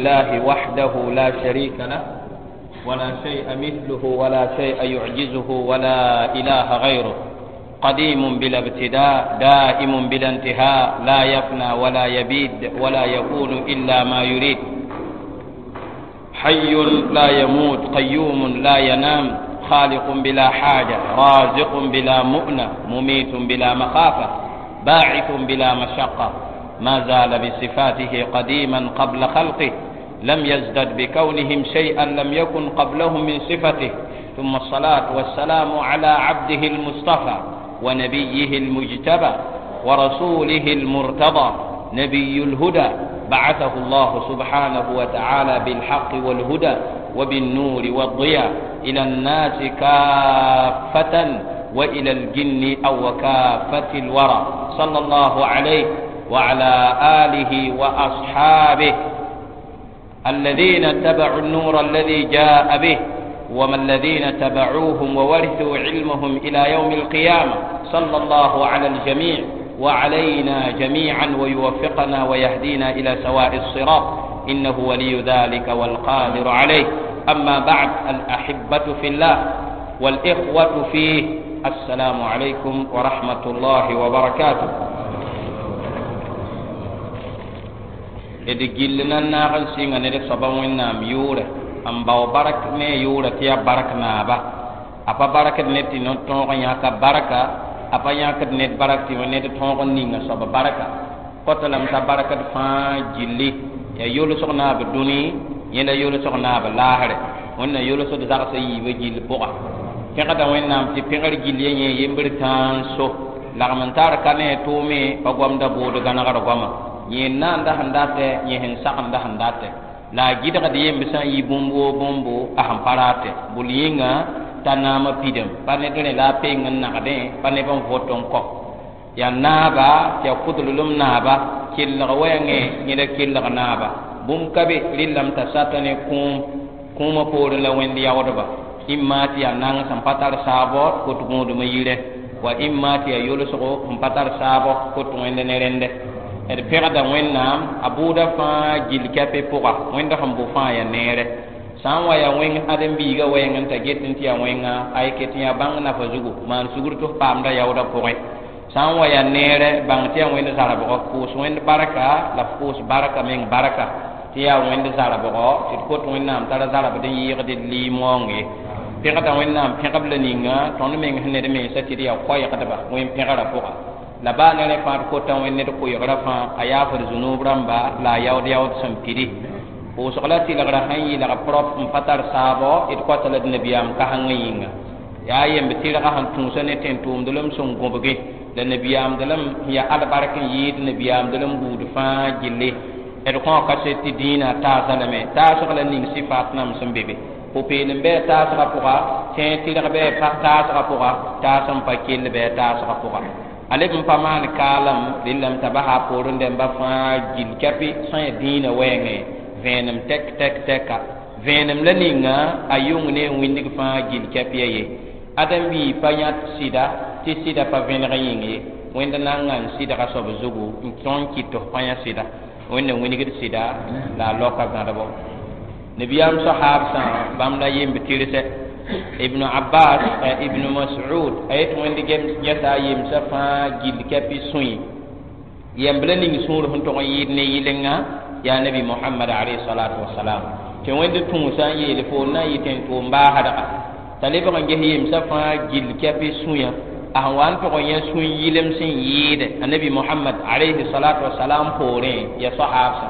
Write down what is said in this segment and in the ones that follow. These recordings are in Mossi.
لله وحده لا شريك له ولا شيء مثله ولا شيء يعجزه ولا إله غيره، قديم بلا ابتداء، دائم بلا انتهاء، لا يفنى ولا يبيد ولا يكون إلا ما يريد، حي لا يموت، قيوم لا ينام، خالق بلا حاجة، رازق بلا مؤنة، مميت بلا مخافة، باعث بلا مشقة، ما زال بصفاته قديما قبل خلقه، لم يزدد بكونهم شيئا لم يكن قبلهم من صفته. ثم الصلاة والسلام على عبده المصطفى ونبيه المجتبى ورسوله المرتضى، نبي الهدى، بعثه الله سبحانه وتعالى بالحق والهدى وبالنور والضياء إلى الناس كافة وإلى الجن أو كافة الورى، صلى الله عليه وعلى آله وأصحابه الذين اتبعوا النور الذي جاء به، وما الذين تبعوهم وورثوا علمهم إلى يوم القيامة، صلى الله على الجميع وعلينا جميعا، ويوفقنا ويهدينا إلى سواء الصراط، إنه ولي ذلك والقادر عليه. أما بعد، الأحبة في الله والإخوة فيه، السلام عليكم ورحمة الله وبركاته. D gill na n naag n sɩnga ned soaba Wẽnnaam yʋʋrɛ n bao bark ne a yʋʋrã tɩ yaa bark naaba. A pa barkd ned tɩ no-tõog n yãka barka, a pa yãkd ned bark tɩ ned tõog n ninga soab barka. Kota lame t'a barkd fãa gilli yaa yolsg naab dũni, yẽ la yolsg naab laasrɛ. Wẽnna yolsd zagsã yiibã gill pʋga. Pẽgda Wẽnnaam tɩ pẽgr gill ya yẽ yembr tãa n so. Lagm n tar ka ne a tʋʋme pa goamda bood gãnegr goama. Yẽ naanda sẽn datɛ, yẽ sẽn sagenda sẽn datɛ. La a gɩdgd yemb sã n yɩ bũmb woo bũmbo a sẽn pa ratɛ. Bʋl yĩnga t'a naamã pidem, pa ned rẽ la a peng n nagdẽ, pa neb n vot n kɔ. Yaa naaba tɩ yaa kʋdlem naaba, kelg wɛɛngẽ yẽ la kelg naaba. Bũmb ka be rɩllame t'a sata ne kũum, kũumã poorẽ la wẽnd yaoodba. Ĩmma tɩ yaa nang sẽn pa tar saabɔ kot gũudmã yirẽ, wa ĩmma tɩ yaa yolsgo sẽn pa tar saabɔ kot wẽnd ne rẽndɛ. D pẽgda Wẽnnaam a bʋʋda fãa gill kɛpɩ pʋga, wẽnd sẽn bʋ fãa yaa neere. Sã n wa yaa wẽng ãdem-biigã wɛɛng n ta get n tɩ yaa wẽnga, ay ket n yaa bãng nafa zugu, maan sugr tɩ f paamda yaoodã pʋgẽ. Sã n wa yaa neere, bãng tɩ yaa wẽnd zarbgɔ, pʋʋs wẽnd barka la f pʋʋs barka meng barka tɩ yaa wẽnd zarbgɔ, tɩ d kot Wẽnnaam tara zarbd n yɩɩgd d liimoong ye. Pẽgda Wẽnnaam pẽgb la ninga tõnd meng sẽn ned mensã tɩ d yaa koɛɛgdba wẽn pẽgrã pʋga. La baa ne rẽ fãa d kota wẽnd ned koɛɛgrã fãa a yaafd zũnub rãmba la a yaood yaood sẽn pidi. Pʋʋsg la tɩlgrã sẽn yɩlg prop n pa tar saabɔ, d kota la d nabiyaam kasengã yĩnga. Yaa yemb tɩrgã sẽn tũusa ne tẽn-tʋʋmdlem sẽn gõbge la nabiyaamdlem sẽn yaa albark n yɩɩd nabiyaamdlem buud fãa gilli. D kõo kaset tɩ dĩinã taasa lame, taasg la ning sɩfaat nam sẽn be be. Pʋ-peelem bɩ a taasgã pʋga, tẽeg tɩrg bɩ a taasgã pʋga, taas n pa kell bɩ a taasgã pʋga. A leb n pa maan kaalem, rɩllame t'a basa a poorẽ dẽmba fãa gill kɛpɩ sã n yaa dĩinã wɛɛngẽ vẽenem tɛk tɛk tɛka. Vẽenem la ninga a yʋng ne wĩndg fãa gill kɛpɩ ye. Ãdem-biig pa yãt sɩda tɩ sɩda pa vẽneg yĩng ye. Wẽnd nanga n sɩdga soab zugu n tõe n kɩt tɩ f pa yã sɩda. Wẽnd n wĩnigd sɩda la a laoka gãdbo. Nabiyaam sahaabsã bãmb la yemb tɩrsɛ. Ibn Abbas, Ibn Mas'ud, a yet wẽnd gɛsa a yemsã fãa gill kɛpɩ sũy. Yemb la ning sũur sẽn tog n yɩɩd ne yɩlenga yaa Nabi Mohamad alayhi salatu wasalam. Tɩ wẽnd tũusã n yeel fo n na n yɩ tẽn-tʋʋm baasdga. T'a lebg n ges yemsã fãa gill kɛpɩ sũyã. A sẽn wa n tog n yã sũy yɩlem sẽn yɩɩde a Nabi Mohamad alayhi salatu wasalam poorẽ ya sahaabsã.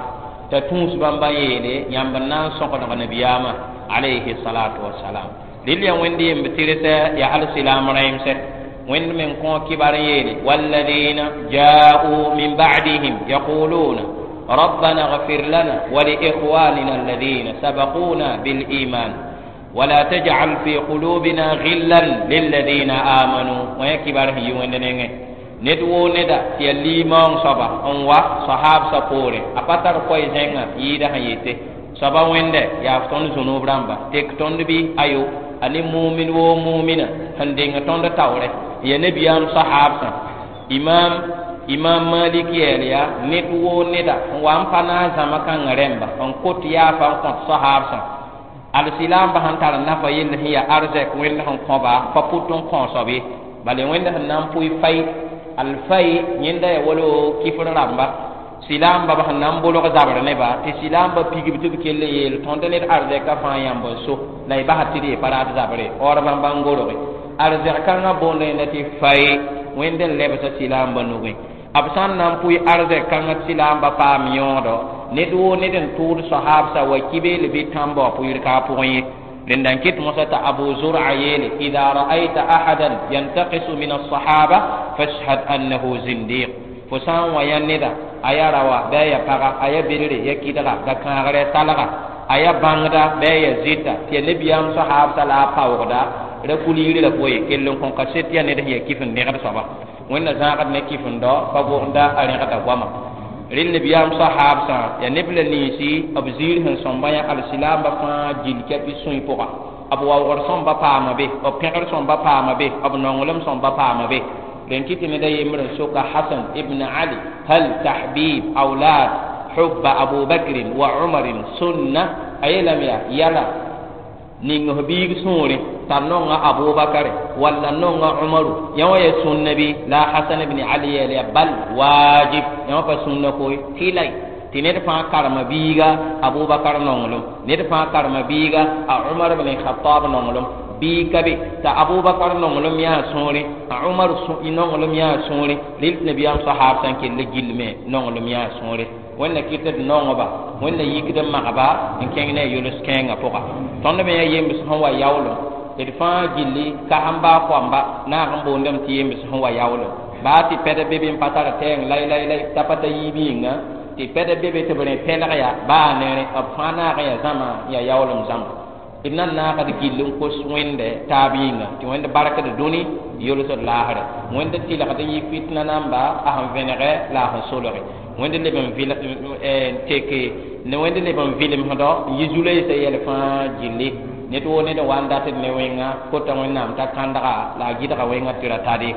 T'a tũus bãmba n yeele yãmb n na n sõgdg nabiyaamã alayhi salatu wasalam. Rɩl yaa wẽnd yemb tɩrsɛ yaa al-silaam rãimsɛ. Wẽnd meng kõ kibar n yeele walladina jaa'u min ba'dihim yaquluna rabbana ighfir lana wa li ikhwanina alladhina sabaquna bil iman ولا تجعل في قلوبنا غلا للذين آمنوا. ويا كبار هي وين نينه ned woo neda tɩ yaa limaoong soaba n wa sahaabsã poorẽ a pa tar koɛɛ zẽngã yɩɩda sẽn yete soaba wẽndɛ yaa f tõnd zũnub rãmba tek tõnd bɩ ayo a ne mumin woo mumina sẽn deng tõnd taoorɛ n yaa nabiyaam sahaabsã. Imam Imam Malik yeel yaa ned woo neda n wa n pa na n zãma kãngã rẽmba n kot yaafa n kõt sohaabsã alsilaamba sẽn tar nafa yell sẽn yaa arzɛk wẽnd sẽn kõba pa pʋt n kõosb ye bala wẽnd sẽn na n pʋɩ fay alfay yẽnda yaa wala kifr rãmba silaamba b sẽn na n bolg zabr neba tɩ silaamba pigb tɩ b kell n yeel tõnd ned arzɛkã fãa yãmb n so la y basa tɩ d ye pa raat zabre waoor bãmba n gorge arzɛg kãngã boonda yẽnda tɩ fay wẽnd n lebsa silaamba nugẽ b sã n na n pʋɩ arzɛk kãngã tɩ silaamba paam yõodo ned woo ned n tʋʋd sohaabsa wa kibeel bɩ tãmba wã pʋɩɩr ka a pʋgẽ ye rẽnda n ket mosã t'a abu zur'a yeele ida ra'ayta ahadan yantaqisu min alsahaba fashhad annahu zindiq fo sã n wa yã neda a ya rawa bɩ a ya paga a ya bedre ya kɩdga ga kãagrɛ talga a ya bãngda bɩ a ya zɩta tɩ ya nebiyaam sohaabsa la a paoogda ra kul yiri la poye kell n kõ kaset yaa ned sẽn ya kɩf n dẽgd soaba wẽnna zãagd ne kɩf-n-dao pa gogda a rẽgda goama rel nebiyaam sohaabsã yaa neb la ninsi b ziir sẽn sõmba yã alsilaamba fãa gill kɛpɩ sũy pʋga b waoogr sõmba paama be b pẽgr sõmba paama be b nonglem sõmba paama be rẽn kɩ tɩ ned a yembr n soka Hasan ibn Ali hal tahbib awlad hubba Abu Bakrin wa Umarin sunna a yeelame yaa yala ning f biig sũurẽ t'a nonga Abubakar walla nonga Umaru yã wã yaa sũnna bɩ la Hasan ibn Ali yeel yaa bal wajib yã wã pa sũnna koe tɩlay tɩ ned fãa karema biiga Abubakar nonglem ned fãa karema biiga a Umar ibn Khattab nonglem bii ka be t'a Abubakar nonglem yaa sũurẽ a Umar nonglem yaa sũurẽ rel tɩ nabiyaam sahaab sã n kell gilme nonglem yaa sũurẽ wẽnna kɩt d nongba wẽnna yikd n magba n kẽng ne a yols kẽengã pʋga tõnd me yaa yembs sẽn wa yaoolem d fãa gilli kasem baa koamba naag n boondame tɩ yembs sẽn wa yaoolem baa tɩ pɛd be be n pa tar tɛɛng lay lay lay t'a pa ta yiib yĩnga tɩ pɛd be be tɩ b rẽ pɛlg yaa baa nere b fãa naag n yaa zãma n yaa yaoolem zãma d na n naagd gill n kos wẽnde taab yĩnga tɩ wẽnd barkd dũni yolsd laasrɛ wẽnd tɩlgd n yɩ fitna namba a sẽn vẽnegɛ la a sẽn solge wẽnd leb n vɩl n teke ne wẽnd leb n vɩlemsdɔ n yɩ zu-loeesã yɛl fãa gilli ned woo ned n wa n datd ne wẽnga kota wẽnnaam t'a kãndga la a gɩdga wẽnga tɩ ra tade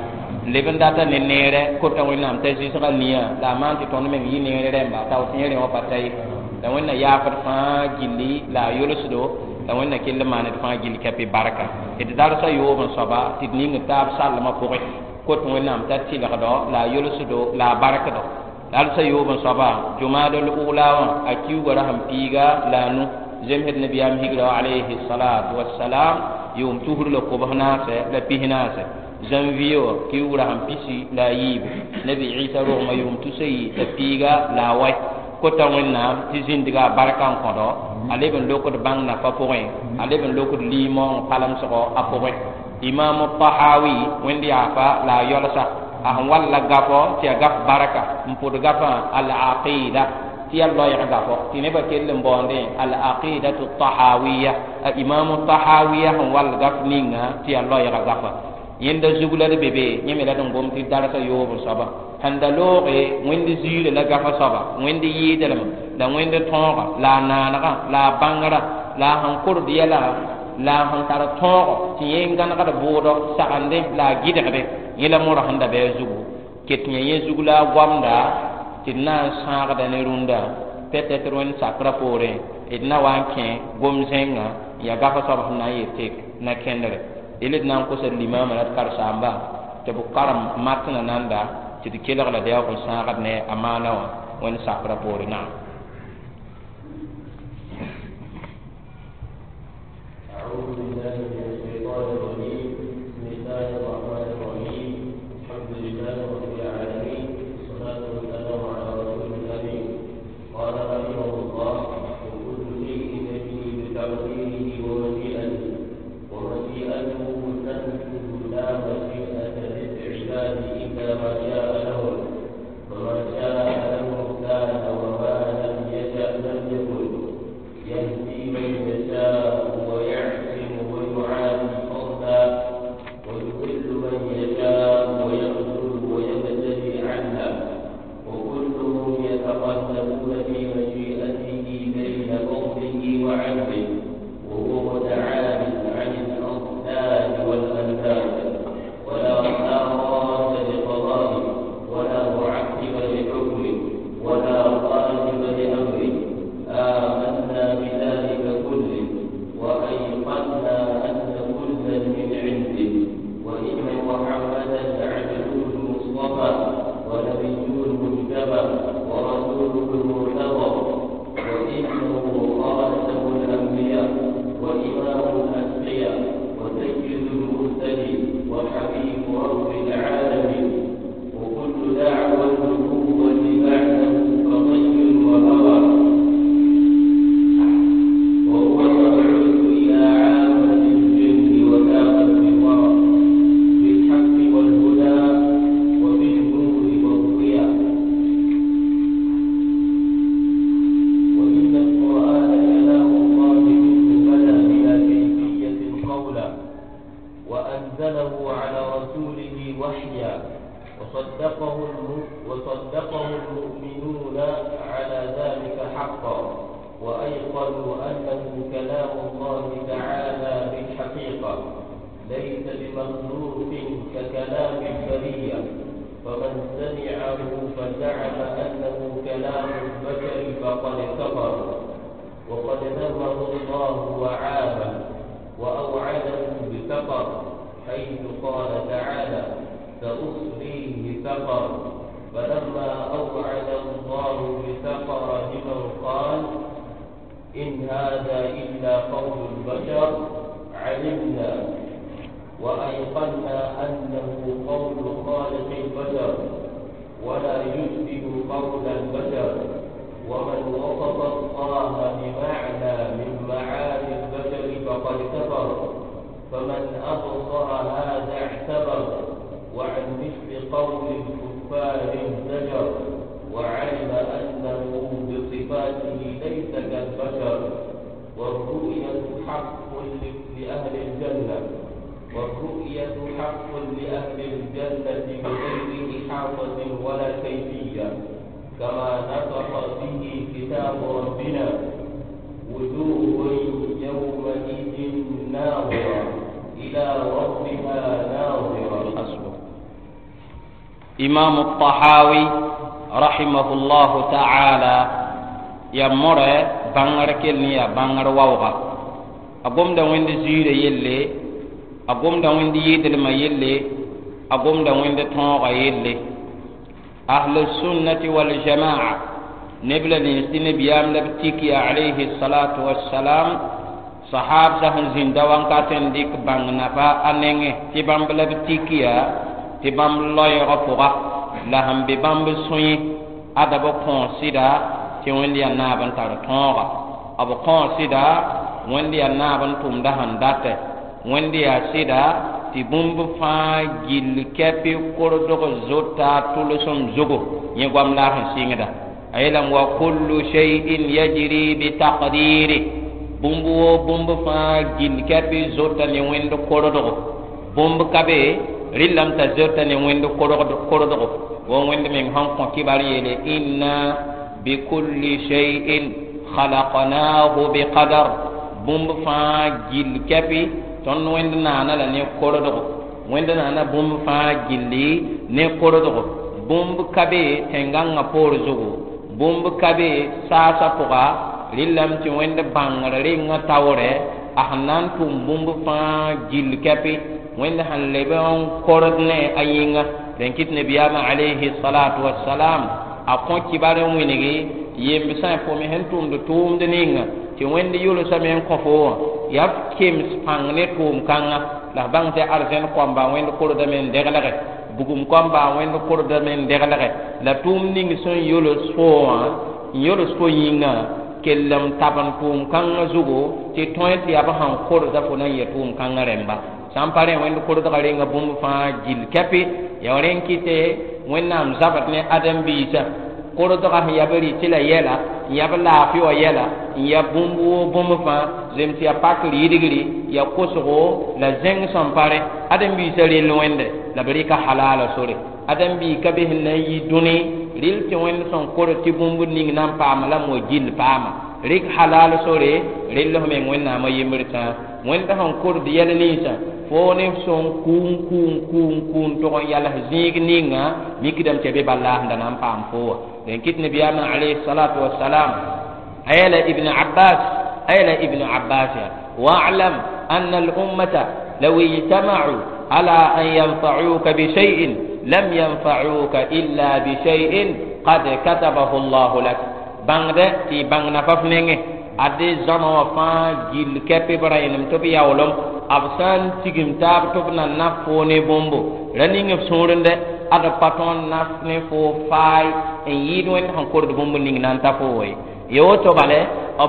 n leb n data ne neerɛ kota wẽnnaam t'a zɩsga nia la a maan tɩ tõnd meng yɩ neere rẽmba t'a tẽe rẽ wã pa ta ye la wẽnna yaafd fãa gilli la a yolsdo la wẽnna kell n maaned fãa gill kɛpɩ barka d darsa yoob n soaba tɩ d ning taab sallmã pʋgẽ kot wẽnnaam t'a tɩlgdo la a yolsdo la a barkdo darsa yoob n soaba jumaadl ula wã a kiuga ra sẽn piiga la a nu zemsd nabiyaam higra alayhi salatu wassalam yʋʋm tusr la kobs naasɛ la pis naasɛ janvier wã kiugra sẽn pisi la a yiibu nabi Isa rogmã yʋʋm tusa yi la piiga la a wai kota wẽnnaam tɩ zĩndga a barka n kõdo a leb n lokd bãng nafa pʋgẽ a leb n lokd liimoong palemsgo a pʋgẽ Imam Tahawi wẽnd yaafa la a yalsa a sẽn walla gafɔ tɩ yaa gaf barka n pʋd gafã al-aqida tɩ yaa loɛɛg gafɔ tɩ nebã kell n baoondẽ al-aqidatu tahawiya a Imamu Tahawiya sẽn wall gaf ninga tɩ yaa loɛɛga gafa yẽnda zug la d be be yẽ me la d n gom tɩ darsa yoob n soaba sẽn da looge wẽnd ziirã la gafa soaba wẽnd yɩɩdlem la wẽnd tõoga la a naanegã la a bãngrã la a sẽn kord yɛla la a sẽn tar tõogo tɩ yẽ n gãnegd bʋʋdɔ sagendẽ la a gɩdgdẽ yẽ la morã sẽn da bɩ a zugu ket yã yẽ zug la a goamda tɩ d na n sãagda ne rũndã peut-être wẽnd sakrã poorẽ d na wa n kẽ gom-zẽngã n yaa gafa soab sẽn na n yet tek na kẽndre del d na n kosa limaamã la d karsaamba tɩ b karem matnã nanda tɩ d kelg la d yaoog n sãagd ne a maana wã wẽnd sakrã poore naam. أعوذ بالله من الشيطان الرجيم. بسم الله الرحمن الرحيم. الحمد لله رب العالمين، والصلاة والسلام على رسول الأمين. قال رحمه الله: وكل شيء يجري بتقديره ومشيئته، ومشيئته تنفذ لا مشيئة للعباد إلا ما شاء لهم، فما شاء لهم كان، وما لم يشأ لم يكن. يهدي من يشاء ويعصم ويعافي فضلا، ويضل من يشاء ويخذل ويبتلي عدلا، وكلهم يتقلبون في مشيئته بين فضله وعدله، وهو متعال عن الأضداد والأنداد، ولا راد لقضائه ولا معقب أنه كلام الله تعالى بالحقيقة، ليس بمخلوق ككلام البرية، فمن سمعه فزعم أنه كلام البشر فقد كفر، وقد ذمه الله وعابه وأوعده بسقر، حيث قال تعالى: سأصليه سقر. فلما أوعد الله بسقر لمن قال إن هذا إلا قول البشر، علمنا وأيقنا أنه قول خالق البشر ولا يشبه قول البشر. ومن وصف الله بمعنى من معاني البشر فقد كفر، فمن أبصر هذا اعتبر، وعن مثل قول الكفار انزجر، وعلم أنه بصفاته ليس كالبشر. والرؤية حق لأهل الجنة، والرؤية حق لأهل الجنة بغير إحاطة ولا كيفية، كما نطق به كتاب ربنا: وجوه يومئذ ناظرة إلى ربها ناظرة. حسبك. إمام الطحاوي رحمه الله تعالى يمر بانغر كلني يا بانغر واوغا أقوم دا وين زير يلي، أقوم دا وين يدل ما يلي، أقوم دا وين تونغ يلي. أهل السنة والجماعة نبل نسين بيام لبتيكي عليه الصلاة والسلام صحاب سهن زندوان كاتن ديك بانغ نفا أنينه تبام لبتيكي تبام لوي رفوغا لهم ببام بسوي أدب كونسيدا تيوين دي نابن تار تونغا أبو كونسيدا وين دي نابن توم دهن داته وين دي سيدا tɩ bũmb fãa gill kɛpɩ kordg zota tʋlsem zugu yẽ goam la a sẽn sɩngda a yeelame wa kullu shay'in yajri bitaqdiri bũmb woo bũmb fãa gill kɛpɩ zota ne wẽnd kordgo bũmb ka be rɩllame t'a zota ne wẽnd kordgo wo wẽnd meng sẽn kõ kibar yeele inna bikulli shay'in khalaqnahu biqadar bũmb fãa gill kɛpɩ tõnd wẽnd naana la ne kordgo wẽnd naana bũmb fãa gilli ne kordgo bũmb ka be tẽn-gãngã poor zugu bũmb ka be saasã pʋga rɩllame tɩ wẽnd bãngr rengã taoorɛ a sẽn na n tʋm bũmb fãa gill kɛpɩ wẽnd sẽn leb n kord ne a yĩnga rẽn kɩt nabiyaamã alayhi salatu wasalam a kõ kibar n wĩngi yemb sã fo me sẽn tʋmd tʋʋmd ninga tɩ wẽnd yʋlsame n kõ fo wã yaa f kems pãng ne tʋʋm-kãngã la f bãng tɩ arzẽn kõamba wẽnd kordame n deglge bugum kõamba wẽnd kordame n deglge la tʋʋm ning sẽn yols fo wã n yols fo yĩngã kell n tab n tʋʋm-kãngã zugu tɩ tõe tɩ yaa b sãn kordã fo na n yɛ tʋʋm-kãngã rẽmba sã n pa rẽ wẽnd kordgã renga bũmb fãa gill kɛpɩ yaa rẽn kɩte wẽnnaam zabd ne ãdem-biisã kordgã sẽn yaa b rɩtɩ la yɛla n yaa b laafɩ wã yɛla n yaa bũmb woo bũmb fãa zems yaa pakr yidgri yaa kosgo la zẽng sẽn pa rẽ ãdem-biisã rell wẽnde la b rɩka halaala sore ãdem-bii ka be sẽn na n yi dũni rɩl tɩ wẽnd sẽn kord tɩ bũmb ning na n paama la mo gill paama rɩk halal sore rell f meng wẽnnaamã yembr tãa wẽnd sẽn kord yɛl ninsã fo ne sõn kũun kũun kũun kũun tʋg n yals zĩig ninga mikdame tɩ be bala sẽn da na n paam fo wã rẽn kɩt nabiyaamã alayhi salatu wasalam a yeela ibn abbas a yeela ibn abbas ya wa'lam anna al-ummata law ijtama'u ala an yanfa'uka bi shay'in lam yanfa'uka illa bi shay'in qad katabahu Allahu lak bãngdɛ tɩ y bãng nafa f nengẽ ade zãma wã fãa gill kɛpɩ b rãenem tɩ b yaoolem b sã n tigim taab tɩ b na naf foo ne bũmbo ra ning f sũurẽ ad b pa tõnd naf ne foo faay n yɩɩd wẽnd sẽn kord bũmb ning na n ta foo ye ya woto bale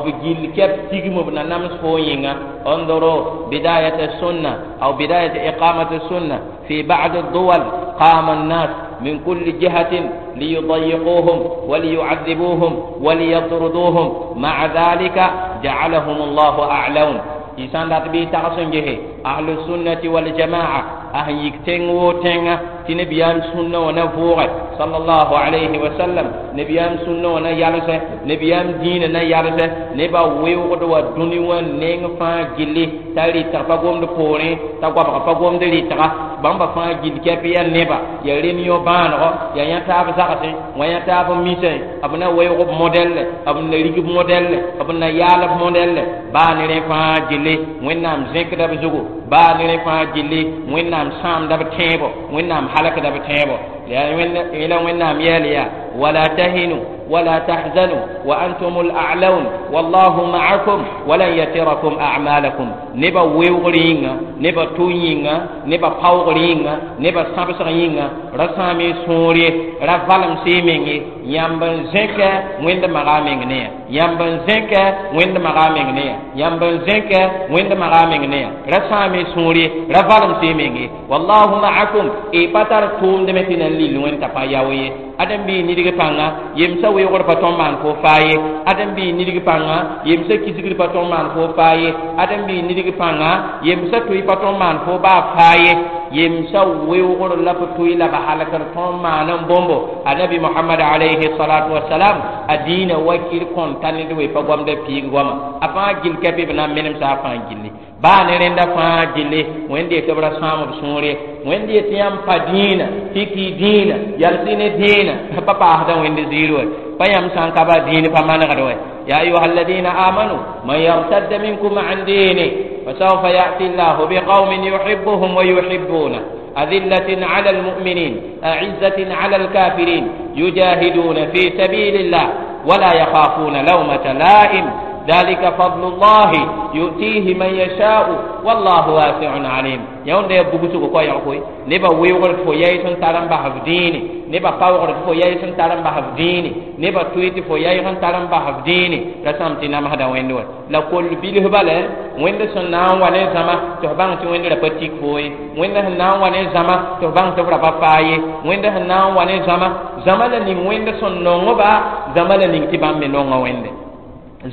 b gill kɛp tigim b na nams foo yĩnga انظروا بداية السنة أو بداية إقامة السنة في بعض الدول قام الناس من كل جهة ليضيقوهم وليعذبوهم وليطردوهم مع ذلك جعلهم الله أعلون إنسان لا تبي تغسن جهه أهل السنة والجماعة A sẽn yik tẽng woo tẽnga tɩ nabiyaam sũnna wã na vʋʋge sallallahu alayhi wa sallam, nabiyaam sũnna wã na yalsɛ, nabiyaam dĩinã na yalsɛ. Nebã weoogd wa dũni wã neng fãa gilli t'a rɩtg pa gomd poorẽ, t'a goabg pa gomd rɩtga. Bãmba fãa gill kɛp yaa neba, yaa réunion bãanego, yaa yã taab zagsẽ wã, yã taab misẽ, b na weoog b modɛlle, b na rig b modɛlle, b na yaal b modɛlle. Baa ne rẽ fãa gilli Wẽnnaam zẽkda b zugu, baa ne rẽ fãa gilli Wẽnnaam sãamda b tẽebo, Wẽnnaam halkda b tẽebo. Yẽla Wẽnnaam yɛɛl yaa wala tahinu wala tahzanu wa antum al-a'lawn wallahu ma'akum walan yatirakum a'malakum. Nebã weoogr yĩnga, nebã to yĩnga, nebã paoogr yĩnga, nebã sãbsg yĩnga, ra sãam y sũur ye, ra valem y meng ye. Yãmb n zẽkɛ Wẽnd maga meng ne ya, yãmb n zẽkɛ Wẽnd maga meng ne ya, yãmb n zẽkɛ Wẽnd maga meng ne ya. Ra sãam y sũur ye, ra valem y meng ye. Wallahu ma'akum, y pa tar tʋʋmdme tɩ nan lil Wẽnd t'a pa yao ye. Ãdem-biig nidg pãnga yemsã weoogr pa tõnd maan fo faa ye. Ãdem-biig nidg pãnga yemsã kisgr pa tõnd maan fo faa ye. Ãdem-biig nidg pãnga yemsã tʋɩ pa tõnd maan fo baa faa ye. Yemsã weoogr la b tʋɩ la b halkr tõnd maan n bõmbo. Anabi Mohamad alayhi salatu wasalam a dĩinã wakir kõn ta ned we pa goamda piig goama. A fãa gill kɛpɩ b na n menemsa a fãa gilli. Baa ne rẽnda fãa gilli Wẽnd yetɩ b ra sãam b sũur ye. Wẽnd yetɩ yãmb pa dĩinã tɩ kɩ dĩinã yals-y ne dĩinã pa paasda Wẽnd ziir wɛ, pa yãmb sã n ka ba dĩin pa manegd wɛ. Ya ayuha alladina amanu man yartadda minkum an dini fasawfa yati llahu biqaumin yuhibuhum wa yuhibuna أذلة على المؤمنين أعزة على الكافرين يجاهدون في سبيل الله ولا يخافون لومة لائم ذلك فضل الله يؤتيه من يشاء والله واسع عليم. Yãnd yaa bugsgo koɛɛg koe nebã weoogr tɩ fo yɛɩ sẽn tar n bas f dĩine, nebã paoogr tɩ fo yɛɩ sẽn tar n bas f dĩine, nebã tʋɩ tɩ fo yɛɩg n tar n bas f dĩine. Ra sãam tɩ namsda Wẽnd wa la koll bilf bala. Wẽnd sẽn na n wa ne zãma tɩ f bãng tɩ Wẽnd ra pa tik fo ye. Wẽnd sẽn na n wa ne zãma tɩ f bãng tɩ f ra pa faa ye. Wẽnd sẽn na n wa ne zãma, zãma la ning Wẽnd sẽn nongba, zãma la ning tɩ bãmb me nonga Wẽnde.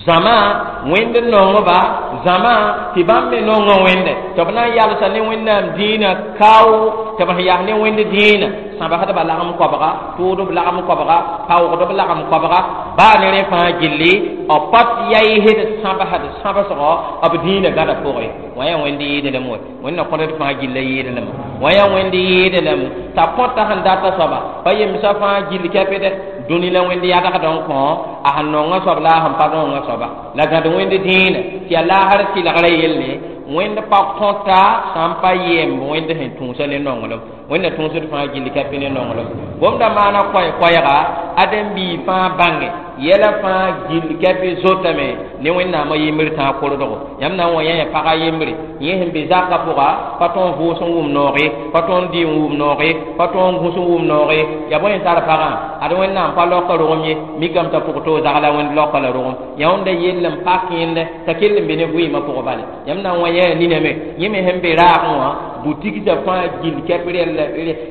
Zãma Wẽnd nongba, zãma tɩ bãmb me nonga Wẽnde, tɩ b na n yalsa ne Wẽnnaam dĩinã kao, tɩ b sẽn yas ne Wẽnd dĩinã sãbsdba lagem koabga, tʋʋdb lagem koabga, paoogdb lagem koabga. Baa ne rẽ fãa gilli b pa yaɩsd sãbsd sãbsgɔ b dĩinã gãda pʋgẽ. Wã yaa Wẽnd yɩɩdlem wɛ, Wẽnd na kõt d fãa gilla yɩɩdlem. Wã yaa Wẽnd yɩɩdlem t'a kõta sẽn data soaba pa yemsã fãa gill kɛpdɛ dũni la Wẽnd yadgd n kõ a sẽn nonga soab la a sẽn pa nonga soaba la gãd Wẽnd dĩinã tɩ yaa laasr tɩlgrã yelle. Wẽnd pa kõta sã n pa yemb Wẽnd sẽn tũusa ne nonglem. Wẽnd na tũusd fãa gill kɛpɩ ne nonglem. Gomda maana koɛɛ-koɛɛga ãdem-biig fãa bãnge yɛla fãa gill kɛpɩ zotame ne Wẽnnaamã yembr tãag kordgo. Yãmb na n wa yã pagã yembre yẽ sẽn be zakã pʋga pa tõe n vʋʋs n wʋm nooge, pa tõe n dɩ n wʋm nooge, pa tõe n gũs n wʋm nooge. Yaa bõe n tar pagã ad Wẽnnaam pa laoka rogem ye, mikame t'a pʋg toog zagla Wẽnd laoka la rogem. Yãonda yell n pak yẽnda t'a kell n be ne vɩɩmã pʋgã bale. Yãmb na n wa yã niname yẽ me sẽn be raagẽ wã butigsa fãa gill kɛp rɛl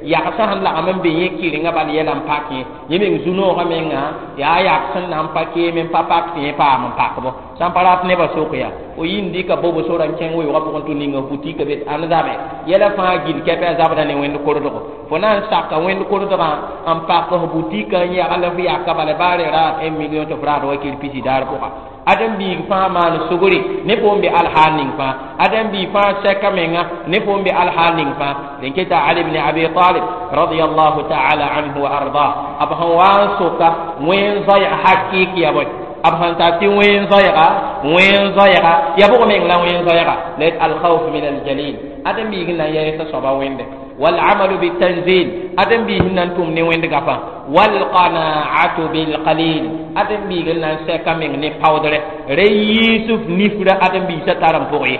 yagsã sẽn lagem n be yẽ kɩrengã bal yɛla n pak yẽ. Yẽ meng zu-noogã menga yaa yak sẽn na n pa keem n pa pak tɩ yẽ paam n pakbo sã n pa rat nebã sok yaa fo yĩnd dɩka bobo sora n kẽng weoogã pʋgẽ tɩ ninga butika be ãnd zabe yɛla fãa gill kɛpɛ a zabda ne Wẽnd kordgo. Fo na n saka Wẽnd kordgã n pak f butika n yagl f yaka bala baa re raad 1 million tɩ f raad wakir pisi daar pʋga. Ãdem-biig fãa maan sugri ne fo n be alhaal ning fãa, ãdem-biig fãa sɛka menga ne fo n be alhaal ning fãa. Dẽn keta Ali bn Abi Talib radiallahu taala anhu wa ardah b sẽn wa n soka wẽn zoɛɛg hakɩɩk ya bõe, b sẽn tar tɩ wẽn zoɛɛga, wẽn zoɛɛga ya bʋg meng la wẽn zoɛɛga la alkhawf min aljalil. Ãdem-biig n na n yɛɛsa soaba Wẽnde والعمل بالتنزيل أدم به ننتم نوين دغفا والقناعة بالقليل أدم به ننسى كمين ني باودر ريسف نفر أدم به ستارم فوقي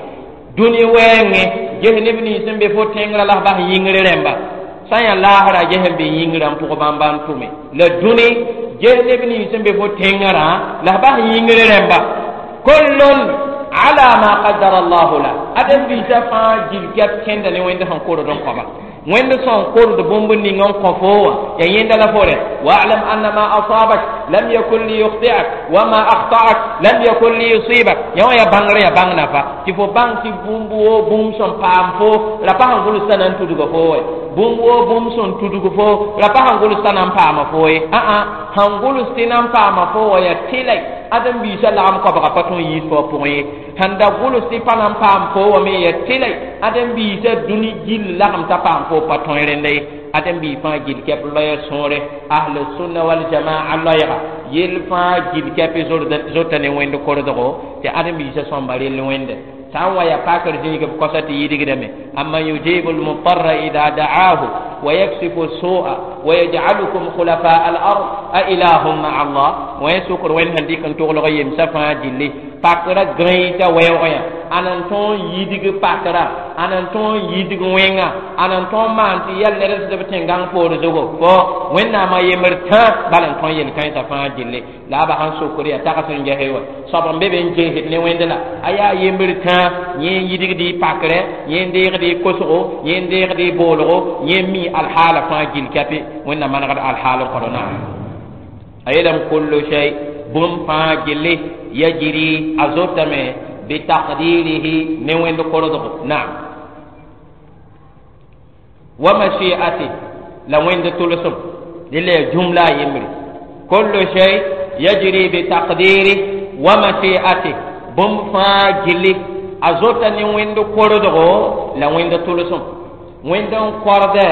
دنيا وين جه نبني سن بفو تنغرا لا bah yingre remba sã yaa laasra ges n be yĩngrã n pʋg bãmba n tʋme la dũni ges neb nins sẽn be fo tẽngrã la f bas yĩngr rẽmba. Kullun ala ma qaddara allahu la adem biisã fãa gil kɛp kẽnda ne Wẽnd sẽn kord n kõba. Wẽnd sẽn kord bũmb ning n kõ fo wã ya yẽnda la fo rẽ. Wa'lam anna ma asabak lam yakun liyukhti'ak wa ma akhta'ak lam yakun liyusibak. Yã wã ya bãngr ya bãng nafa tɩ fo bãng tɩ bũmb woo bũmb sẽn paam fo ra pa sẽn gʋls t'a na n tudga fo wɛ. Bũmb woo bũmb sẽn tudg fo ra pa sẽn gʋls t'a na n paama fo ye. Ã-ã sẽn gʋls tɩ na n paama fo wã ya tɩlɛ ãdem-biisã lagem koabga pa tõe n yiis fo a pʋgẽ ye. Sẽn da gʋls tɩ pa na n paam fo wã me ya tɩlɛ ãdem-biisã dũni gill lagem t'a paam fo pa tõe rẽnda ye. Ãdem-biig fãa gill kɛp loɛɛ sõore ahl sunna wal jamaa loɛɛga yell fãa gill kɛp zota ne wẽnd kordgo tɩ ãdem-biisã sõmba rell wẽnde. Sã n wa ya pakr zĩig b kosa tɩ yidgdame. Amman yujibu lmutarra ida da'ahu wa yaksifu su'a wa yaj'alukum khulafa al ard a ilahum ma'a Allah. Wẽ sʋkr wẽnd sẽn dɩk n toglg yemsã fãa gilli pakra gãe t'a wɛoogẽ yã ãn n tõog yidg pakra ãn n tõog yidg wẽnga ãn n tõog maan tɩ yɛl ned sd b tẽn-gãng poor zugu fo Wẽnnaamã yembr tã bala n tõe yel-kãensã fãa gilli la a ba sẽn sokr yaa tags n gese wa soab n be be n geesd ne wẽnd la a yaa yembr tã yẽ n yidgd y pakrɛ yẽ n deegd y kosgo yẽ n deegd y boolgo yẽ n mi alhaala fãa gill kɛpɩ Wẽnnaam manegd alhaal n kõd naam. A yeelame kullu shay bũmb fãa gilli yajri a zotame bitaqdirihi ne wẽnd kordgo naam wa mashi'ati la wẽnd tʋlsem dɩla ya jumla a yembre. Kullu shay yajri bitaqdiri wa mashi'ati bũmb fãa gilli a zota ne wẽnd kordgo la wẽnd tʋlsem wẽnd n kordɛ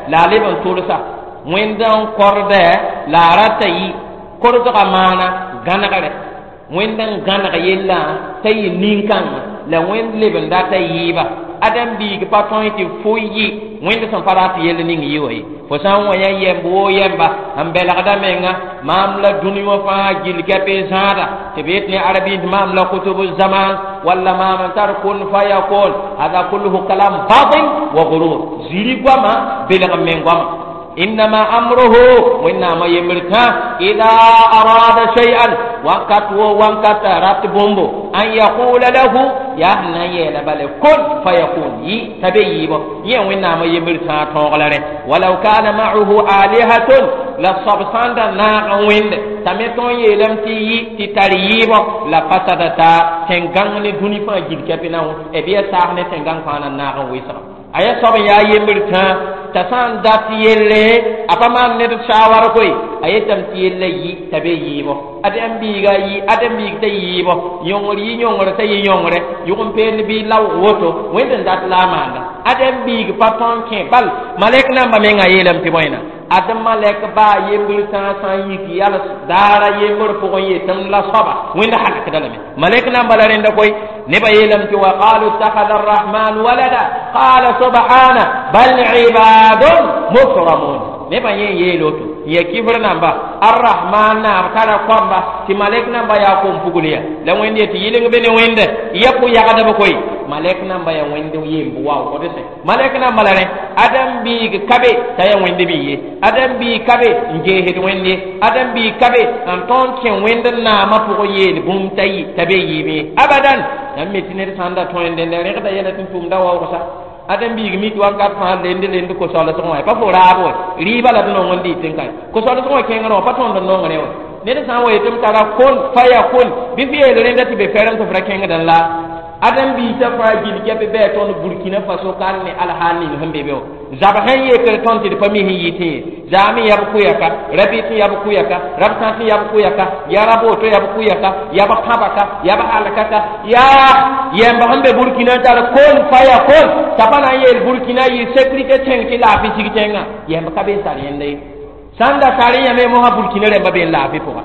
la a leb n tʋlsa wẽnd n kordɛ la a rata yi kordgã maana gãnegre wẽnd n gãneg yellã t'a yɩ nin-kãngã la wẽnd leb n data yɩɩba ãdem-biig pa tõe tɩ fo yɩ wẽnd sẽn pa rat yell ning yɩ wa ye. Fo sã n wa yã yɛmb woo yɛmba n belgda menga maam la dũni wã fãa gill kɛp n zãada tɩ b yet ne arabiis maam la kutubu zaman walla maam n tar kun fayakun hada kulluhu kalam batil wa gurur ziri goama belg n meng goama. Innama amruhu Wẽnnaamã yembr tã ida arada shay'an wakat wo wankata rat bũmbo an yaqula lahu yaa sẽn na n yeela bale kun fayakun yɩ t'a be yɩɩbɔ yẽ Wẽnnaamã yembr tã tõog la rẽ walau kana ma'ahu alihatun la soab sã n da naag n wẽnde t'a me tõe n yeelame tɩ yɩ tɩ tar yɩɩbɔ la fasadata tẽn-gãng ne dũni fãa gill kɛpɩ na b ya saas ne tẽn-gãng fãa na naag n wɩsga a yaa soab n yaa yembr tã t'a sã n dat yelle a pa maan ned shawar koe a yetame tɩ yella yɩ t'a be yɩɩbɔ ãdem-biiga yɩ ãdem-biig t'a yɩɩbɔ yõngr yɩ yõngr t'a yɩ yõngre yʋg n peend bɩ laoog woto wẽnd n dat la a maanda ãdem-biig pa tõn kẽ bal malɛk namba menga yeelame tɩ bõena ad malɛk baa yembr tãa sã n yik yals daara yembr pʋgẽ yetem la soaba wẽnd halakda lame malɛk namba la rẽnda koe nebã yeelame tɩ wa qalu ittakhadha arrahman walada qala subhana bal ibadun mukramun nebã yẽ yeel woto n ya kifr namba arrahman naab tara koamba tɩ malɛk namba yaa kom pugl ya la wẽnd ye tɩ yɩleng be ne wẽnde ya pʋ-yagdb koe malɛk namba ya wẽnd yemb waoogd sẽ malɛk namba la rẽ ãdem-biig ka be t'a ya wẽnd bɩ ye ãdem-biig ka be n geesd wẽnd ye ãdem-biig ka be n tõnd kẽ wẽnd naamã pʋgẽ yeel bũmb t'a yɩ t'a be yɩɩb ye abadan yãmb me tɩ ned sã n da tõe n dẽnda rẽgda yɛla tɩ n tʋmda waoogsa ãdem-biig mi tɩ wakat fãa lend lend ko-soalsg wã pa fo raab wã rɩɩbã la d nong n dɩt n kae ko-soalsg wã kẽngr wã pa tõnd n nongre wã ned sã n wa yetɩ m tara kon faya kon bɩ f yeel rẽnda tɩ be fɛrem tɩ f ra kẽngdẽ la ãdem-biisã fãa gill kɛp bɩ tõnd Burkina Faso ka ne alhaal ning sẽn be be wã zab sẽn yekr tõnd tɩ d pa mi sẽn yɩ tẽ ye zaame yab kʋyaka rabɩ tɩ yab kʋyaka rab sã tɩ yab kʋyaka ya rab woto yab kʋyaka yab kãbaka yab halkaka yaa yɛmb sẽn be Burkina tar kon faya kon t'a pa na n yeel Burkina yɩ sécurité tẽng tɩ laafɩ sig tẽngã yɛmb ka be n tar yẽnda ye sã n da tar yãme mosã Burkina rẽmba be n laafɩ pʋga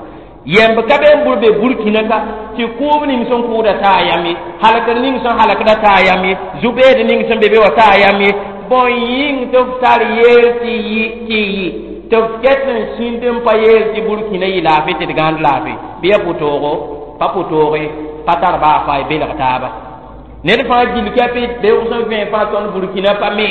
yɛmb ka be n bur be Burkina ka tɩ kʋʋb ning sẽn kʋʋda taa yam ye halkd ning sẽn halkda taa yam ye zu-beed ning sẽn be be wa taa yam ye bõn yĩng tɩ f tar yeel tɩ yɩ tɩ yɩ tɩ f ket n sĩnd n pa yeel tɩ Burkina yɩ laafɩ tɩ d gãnd laafɩ bɩ ya pʋtoogo pa pʋtooge pa tar baa fa y belg taaba ned fãa gill kɛpɩ beoog sẽn vẽe fãa tõnd Burkina pa me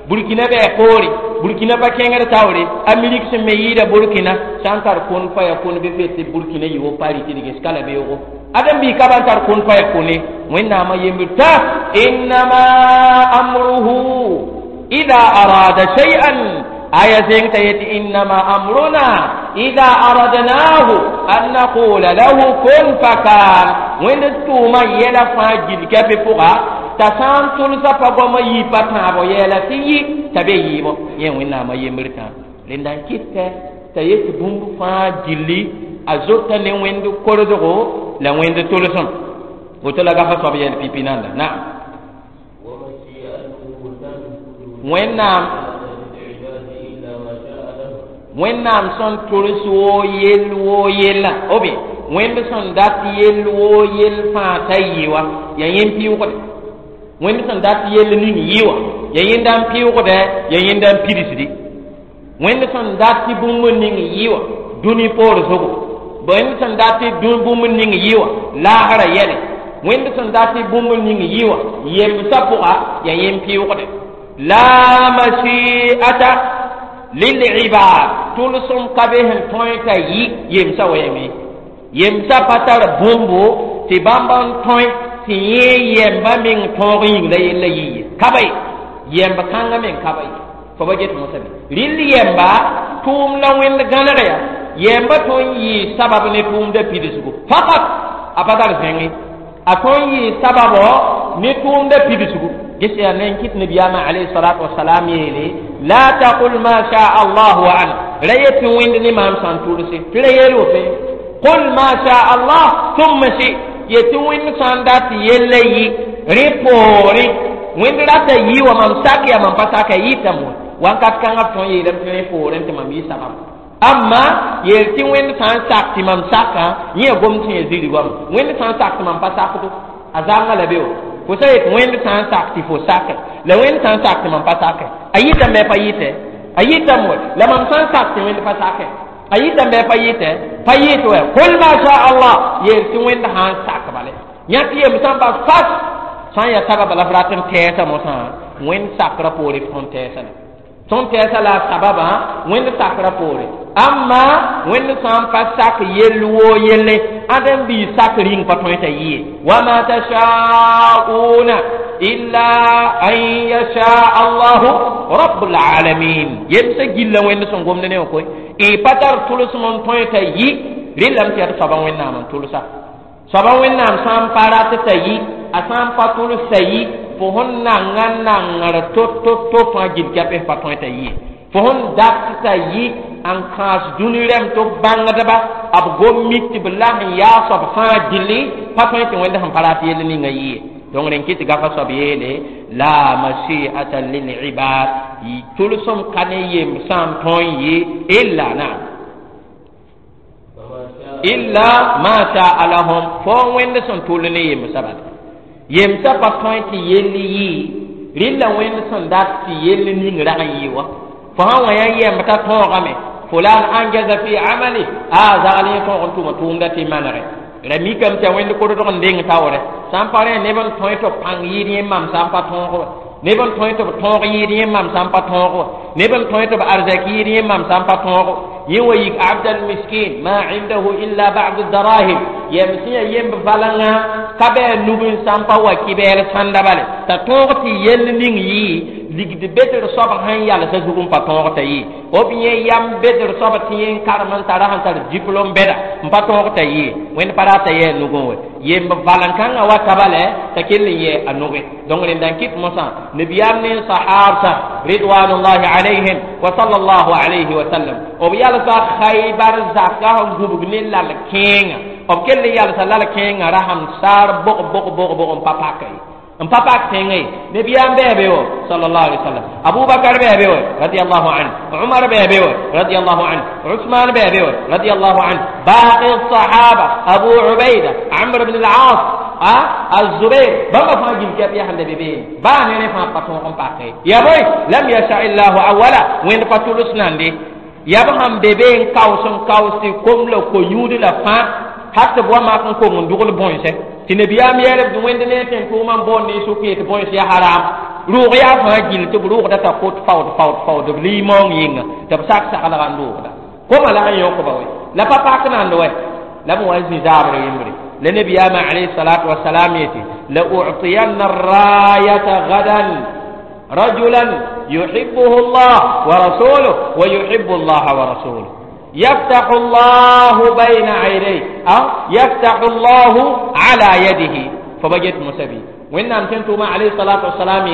Burkina bɩ poore Burkina pa kẽngd taoore Amerik sẽn me yɩɩda Burkina sã n tar kon fa ya kon bɩ fe tɩ Burkina yɩ wo pari tɩ d ges ka la beoogo ãdem-biig ka ban tar kon fa ya kone Wẽnnaamã yembr tã innama amruhu Idha arada shay'an aya zẽng t'a yetɩ innama amruna idha aradnahu an naqula lahu kun fakan. Wẽnd tʋʋmã yɛla fãa gill kɛpɩ pʋga t'a sã n tʋlsa pa goamã yɩ pa tãabo yɛɛla tɩ yɩ t'a be yɩɩbɔ yẽ Wẽnnaamã yembr tã rẽnda n kɩtɛ t'a yet bũmb fãa gilli a zota ne wẽnd korsgo la wẽnd tʋlsem woto la gafa soab yɛl pipi nanda naam. Wẽnnaam sẽn tʋls woo yell woo yella ou bien wẽnd sẽn dat yell woo yell fãa t'a yɩ wa yaa yẽn pɩʋgde wẽnd sẽn dat yell ning yɩ wa yaa yẽnda n pɩʋgdɛ yaa yẽnda n pidsdi wẽnd sẽn dat tɩ bũmb ning yɩ wa dũni poor zugu wẽnd sẽn dat tɩ bũmb ning yɩ wa laasra yɛle wẽnd sẽn dat tɩ bũmb ning yɩ wa yemsã pʋga yaa yẽn pɩʋgde la mashi'ata lilibad tʋlsem ka be sẽn tõe t'a yɩ yemsã wɛɛme yemsã pa tar bũmbo tɩ bãmb n tõe tɩ yẽ yɛmba meng tõog yĩng la yella yɩ ye ka ba ye yɛmb kãngã meng ka ba ye fo ba get mosã be rɩl yɛmba tʋʋm la wẽnd gãneg yaa yɛmba tõe n yɩɩ sabab ne tʋʋmda pidsgo fakat a pa tar zẽnge a tõe n yɩɩ sababɔ ne tʋʋmda pidsgo ges yaa ne n kɩt nabiyaamã alayhi salatu wasalam yeele la taqul ma shaa allah wa ana ra yet tɩ wẽnd ne maam sã n tʋlse tɩ ra yeel woto qul ma shaa allah thumma shi yetɩ wẽnd sã n dat yella yɩ rẽ poorẽ wẽnd rata yɩ wa mam sak yaa mam pa saka yɩtame wa wakat kãngã b tõe n yeelame tɩ rẽ poorẽ tɩ mam yɩ sabab amma yeel tɩ wẽnd sã n sak tɩ mam saka yẽ gom sẽn ya ziri goam wẽnd sã n sak tɩ mam pa sakdo a zãnga la be wa fo sã yet wẽnd sã n sak tɩ fo sake la wẽnd sã n sak tɩ mam pa sake a yɩtame pa yɩtɛ a yɩtame wa la mam sã n sak tɩ wẽnd pa sake a yɩtame pa yɩtɛ pa yɩt wɛ kul ma sha allah yeel tɩ wẽnd sã n sak bale yã tɩ yem sã n pa fas sã n yaa sababa la f rat n tɛɛsa mosã wẽnd sakrã poore f tõnd tɛɛsa la tõnd tɛɛsa la a sababã wẽnd sakrã poore amma wẽnd sã n pa sak yell woo yelle ãdem bii sak rĩng pa tõe t'a yɩ ye wama tashauna illa an yasha allahu rabbul alamin yemsã gilla wẽnd sẽn gomd ne wã koe y pa tar tʋlsem n tõe t'a yɩ rɩlame tɩ yaa tɩ soaba Wẽnnaam n tʋlsa soaba Wẽnnaam sã n pa rat t'a yɩ a sã n pa tʋlsa yɩ fo sẽn nanga nangr to-to-to fãa gill kɛps pa tõe t'a yɩ fo sẽn dat t'a yɩ n kãas dũni rɛm tɩ b bãngdba b gom mik tɩ b la sẽn yaa soab fãa gilli pa tõe tɩ wẽnd sẽn pa rat yell ninga yɩ ye donc rẽn kɩ tɩ gafa soab yeele la mashi'ata lilibad tʋlsem ka ne yem sã n tõe n yɩ illa naam illa ma shaa lahum fo wẽnd sẽn tʋl ne yemsã bala yemsã pa tõe tɩ yell yɩ rɩlla wẽnd sẽn dat tɩ yell ning rag n yɩ wa fo sã wã yaa yɛmb t'a tõogame fulan anjaza fi amali a zagl yẽ tõog n tʋma tʋʋmda tɩ manege ra mikame tɩ a wẽnd kodg n deng taoore sã n pa rẽ neb n tõe tɩ b pãng yɩɩd yẽ mam sã n pa tõog wa neb n tõe tɩ b tõog yɩɩd yẽ mam sã n pa tõog wa neb n tõe tɩ b arzɛk yɩɩd yẽ mam sã n pa tõog yẽ wa yik abdal miskin ma indahu illa ba'du darahim yɛm sẽn yaa yemb valãngã ka bɩ a nub n sã n pa wa kɩbɛɛl sãnda bale t'a tõog tɩ yell ning yɩ ligd bedr soab sẽn yalsã zug n pa tõog t'a yɩ b yẽ yam bedr soab tɩ yẽ n karem n tara sẽn tar diplôme bɛda n pa tõog t'a yɩ wẽnd pa rata yɛ a nugẽ wɛ yemb valẽ-kãngã wa taba lɛ t'a kell n yɛ a nugẽ donc rẽnda n kɩt mosã nabiyaam ne sahabsã ridwanullahi alayhim wa sallallahu alayhi wa sallam b yalsa Khaybar zaka sẽn gubg ne lal kẽenga b kell n yalsa lal kẽengã rasem saar bog bog bog bog n pa paka ye n pa pak tẽngã ye nabiyaam bɩ be wa sallallahu alayhi wa sallam Abubakar bɩ be wa radiyallahu anhu Umar bɩ be wa radiyallahu anhu Usman bɩ be wa radiyallahu anhu baqi sahaba Abu Ubaida Amr ibn al-As الزبير بما fãa gil kɛp yaa sẽn da be beene baa ne rẽ fãa pa tõog n pake ya boy lam yasha illahu awala wẽnd pa tʋls nande ya b sãn be be n kaoos n kaoos tɩ kom la ko-yũud la fãa har tɩ b wa mak n kong n dogl bõense tɩ nabiyaam yeelb tɩ wẽnd ne tẽn tʋʋmã n boond ne sʋk yetɩ bõens yaa haram rʋʋg yaa fãa gill tɩ b rʋʋgda t'a kot faood faood faood b limaoong yĩnga tɩ b sak saglga n rʋʋgda koma la sẽn yõkba wɛ la pa pak nand wɛ la b wa n zĩ zaabr yembre la nabiyaamã alayhi salatu wasalam yetɩ la u'tiyanna rayata gadan رجلا يحبه الله ورسوله ويحب الله ورسوله يفتح الله بين عينيه أو يفتح الله على يده فبجت مسبي وإن تنتم عليه الصلاة والسلام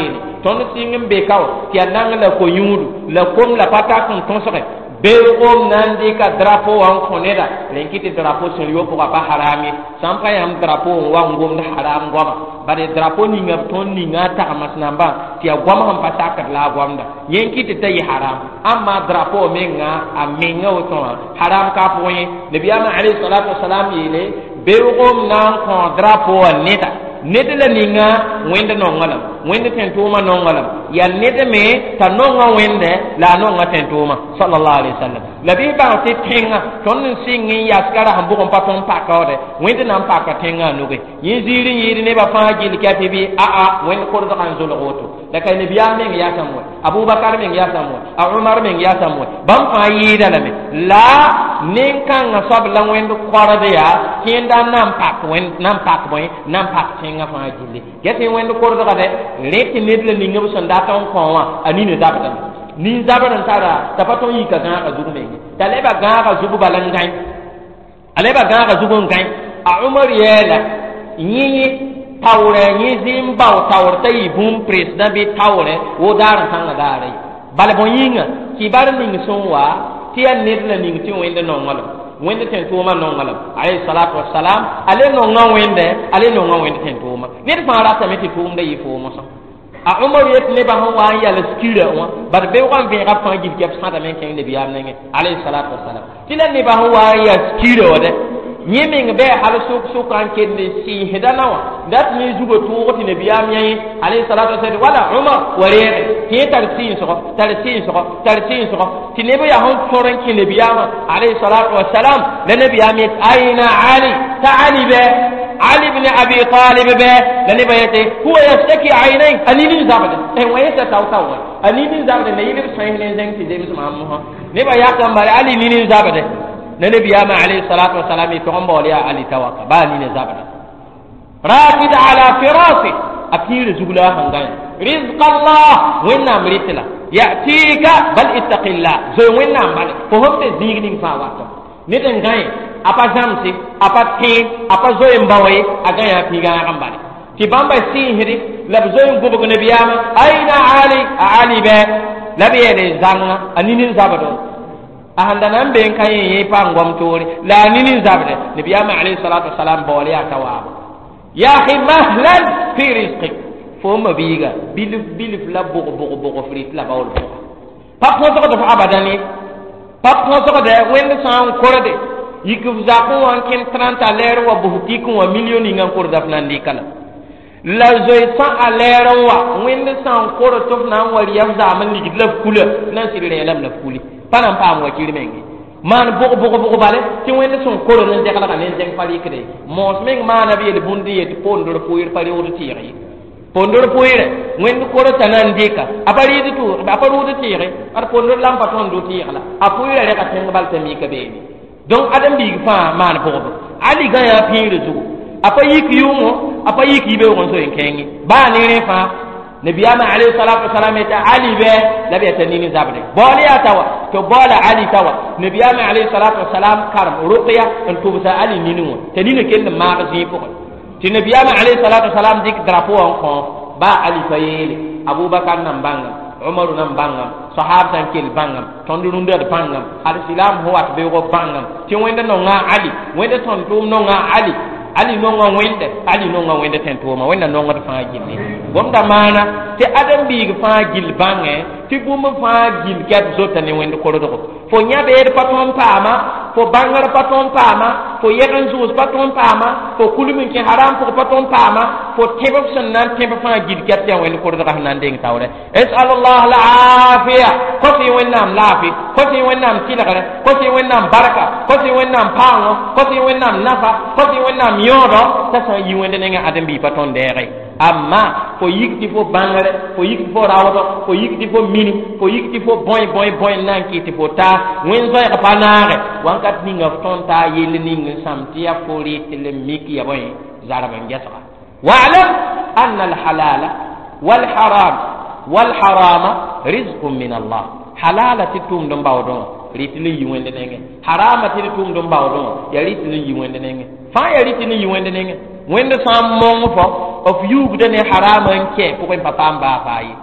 tõnd sɩng n be ka tɩ yaa nang la ko-yũudu la kom la pa tak n tõsge beoogem na n dɩka drapo wã n kõ neda rẽn kɩ tɩ drapo sẽn yo pʋga pa haram ye. Sã n pa yãmb drapo n wa n gomd haram goama, bare drapo ninga b tõnd ninga a tagms nambã tɩ yaa goam sẽn pa sakd la a goamda yẽ n kɩ tɩ ta yɩ haram. Amma drapo menga a menga woto wã haram ka pʋgẽ ye. Nabiyaamã alayhi salatu wasalam yeele beoogem na n kõ drapo wã neda ned la ninga wẽnd nonglem, wẽnd tẽn-tʋʋmã nonglem, yaa ned me t'a nonga wẽnde la a nonga tẽn-tʋʋmã sallallahu alaihi wasallam. La bɩ bãng tɩ tẽngã tõnd n sɩng n yaska ra sẽn bʋg n pa tõnd pakaoode wẽnd na n paka tẽngã a nuge yẽ ziir n yɩɩd nebã fãa gill kɛpɩ bɩ aa wẽnd kordgã n zolg woto. La ka nabiyaam meng yaasame wɛ, Abubakar meng yaasame wɛ, a Umar meng yaasame wɛ, bãmb fãa yɩɩda lame la nen-kãngã soab la wẽnd kord yaa kẽenda na n pak wẽnd na n pak bõe na n pak tẽngã fãa gilli ges wẽnd kordga dɛ rẽ tɩ ned la ning b sẽn dat n kõ wã a nina zabdame nin-zabr n tara t'a pa tõn yika gãagã zug menge t'a leba gãagã zug bala n gãe a leba gãagã zug n gãe. A Umar yeela yẽ taoorɛ yẽ zɩ-n bao taoor t'a yɩ bũmb président bɩ taoorɛ wo daar n kãngã daara ye. Bala bõe yĩnga kibar ning sẽn wa tɩ yaa ned la ning tɩ wẽnd nonglem, wẽnd tẽn-tʋʋmã nonglem alayhi salatu wasalam a le nonga wẽnde a le nonga wẽnd tẽn-tʋʋma ned fãa ratame tɩ tʋʋmda yɩ foomosã. A Umar yet nebã sẽn wa n yals kira wã bad beoogã n vẽega b fãa gil kɛb sãdame n kẽng nabiyaam nengẽ alayhi salatu wasalam tɩ la nebã sẽn wa n yals kira wã dɛ yẽ meng bɩ hal sʋk-sʋka n kell n sɩɩsda na wã dat ne zugã tʋʋg tɩ nabiyaam yã alayhi salatu wasalam wala Umar wa reege tɩ yẽ tar sɩɩsgɔ tar sɩɩsgɔ tar sɩɩsgɔ tɩ neb yaa sẽn tõr n kẽ nabiyaamã alayhi salatu wasalam la nabiyaam yet aina Ali t'a Ali bɛ Ali ibn Abi Talib bɛ la nebã yetɩ huwa yashtaki aynay a nini n zabde wã yeta tao-tao wã a nini n zabde na yɩl b sões ne zẽng tɩ zems maam mosã nebã yakã n bare Ali nini n zabde na nabiyaamã alayhi salatu wasalam y tog n baool yaa Ali tawaka baa nina zabda rakid ala firasi a piirã zug la a sẽn gãe rizq Allah wẽnnaam rɩt la yatika bal ittaqillah zoe wẽnnaam bale fo fo tɩ zĩig ning fãa wato ned n gãe a pa zãmse a pa tẽ a pa zoe n bao ye a gã yaa pĩgãag n bale tɩ bãmba sɩɩsde la b zoe n gʋbg nabiyaamã aina Ali a Ali bɛ la b yeele zãnga a nini n zabdõ a sẽn da na n be n ka yẽ yẽ pa n gom toore la a nini n zabde nabiyaamã alayhi salatu wasalam baool yaa ta waabo ya akhi mahlan fi rizqik fo ma biiga bilf bilf la bʋg bʋg bʋg f rɩt la baool pʋga pa põsgd f abadan ye pa põsgdɛ wẽnd sã n korde yik f zakẽ wã n kẽnd 30 a lɛɛr wa bʋs tik wã million ninga n korda f na n dɩka la la zoe sã a lɛɛr n wa wẽnd sã n kord tɩ f na n wa rɩya f zaam n ligd la f kula na n sɩd rẽelame la f kuli pa na n paam wakir menge maan bʋg bʋg bʋg bale tɩ wẽnd sẽn kord n dɛglga ne zẽng pa rɩkde moos meng maana b yel bũnd yet pondr pʋɩr pa reood tɩɩg ye pondr pʋɩrɛ wẽnd korta na n dɩka a pa rɩɩd a pa rʋʋd tɩɩge ad pondr la n pa tõnd tɩɩg la a pʋɩra rega tẽng bal t'a mika beene. Donc ãdem-biig fãa maan bʋgb Ali gã yaa pĩirã zugu a pa yik yʋʋngõ a pa yik yibeoog n zoe n kẽenge baa ne rẽ fãa nabiyaamã alayhi salatu wasalam yeta Ali bɛ la b yaa t'a nini zabde baool yaa ta wa tɩ baoola Ali ta wa nabiyaamã alayhi salatu wasalam karem rʋkya n tʋbsa Ali nini wã t'a nina kell n maag zĩig pʋgẽ tɩ nabiyaamã alayhi salatu wasalam dɩk drapo wã n kõ baa Ali pa yeele Abubakar nan bãngam Umaru nan bãngam sahab sã n kell bãngam tõnd rũndã d bãngam al silam sẽn wat beoogã bãngam tɩ wẽnd nonga Ali wẽnd tõnd tʋʋm nonga Ali Ali nonga wẽnde Ali nonga wẽnd tẽn-tʋʋma wẽnda nongd fãa gilli gomda maana tɩ ãdem-biig fãa gill bãngẽ tɩ bũmb fãa gill kɛt zota ne wẽnd kordgo fo yã-beed pa tõn paama fo bãngr pa tõn paama fo yɛg n zʋʋs pa tõn paama fo kulm n kẽ haram pʋg pa tõn paama fo tẽb f sẽn na n tẽb fãa gill kɛt tɩ yaa wẽnd kordgã sẽn na n deng taoorɛ esal allah laafiya kos-y wẽnnaam laafɩ kos-y wẽnnaam tɩlgre kos-y wẽnnaam barka kos-y wẽnnaam paoongõ kos-y wẽnnaam nafa kos-y wẽnnaam yõodɔ t'a sã n yi wẽnd nengẽ ãdem-biig pa tõn deege amma fo yik tɩ fo bãngre fo yik tɩ fo raoodɔ fo yik tɩ fo mini fo yik tɩ fo bõe bõe bõe n na n kɩ tɩ fo taa wẽnd zoɛɛg pa naage wãnkat ninga f tõnd taa yell ning n sãm tɩ yaa fo rɩt l mik ya bõe zarb n gɛsga wa'lam anna alhalala walharam Wal harama rizqun min Allah. Halala tɩ tʋʋmd n baoodẽ wã rɩt n yi wẽnd nengẽ. Harama tɩ d tʋʋmd n baoodẽ wã yaa rɩt n yi wẽnd nengẽ. Fãa yaa rɩt n yi wẽnd nengẽ. Wẽnd sã n mong fo f yuugda ne harama n kɛ pʋgẽ pa paam baa faa ye.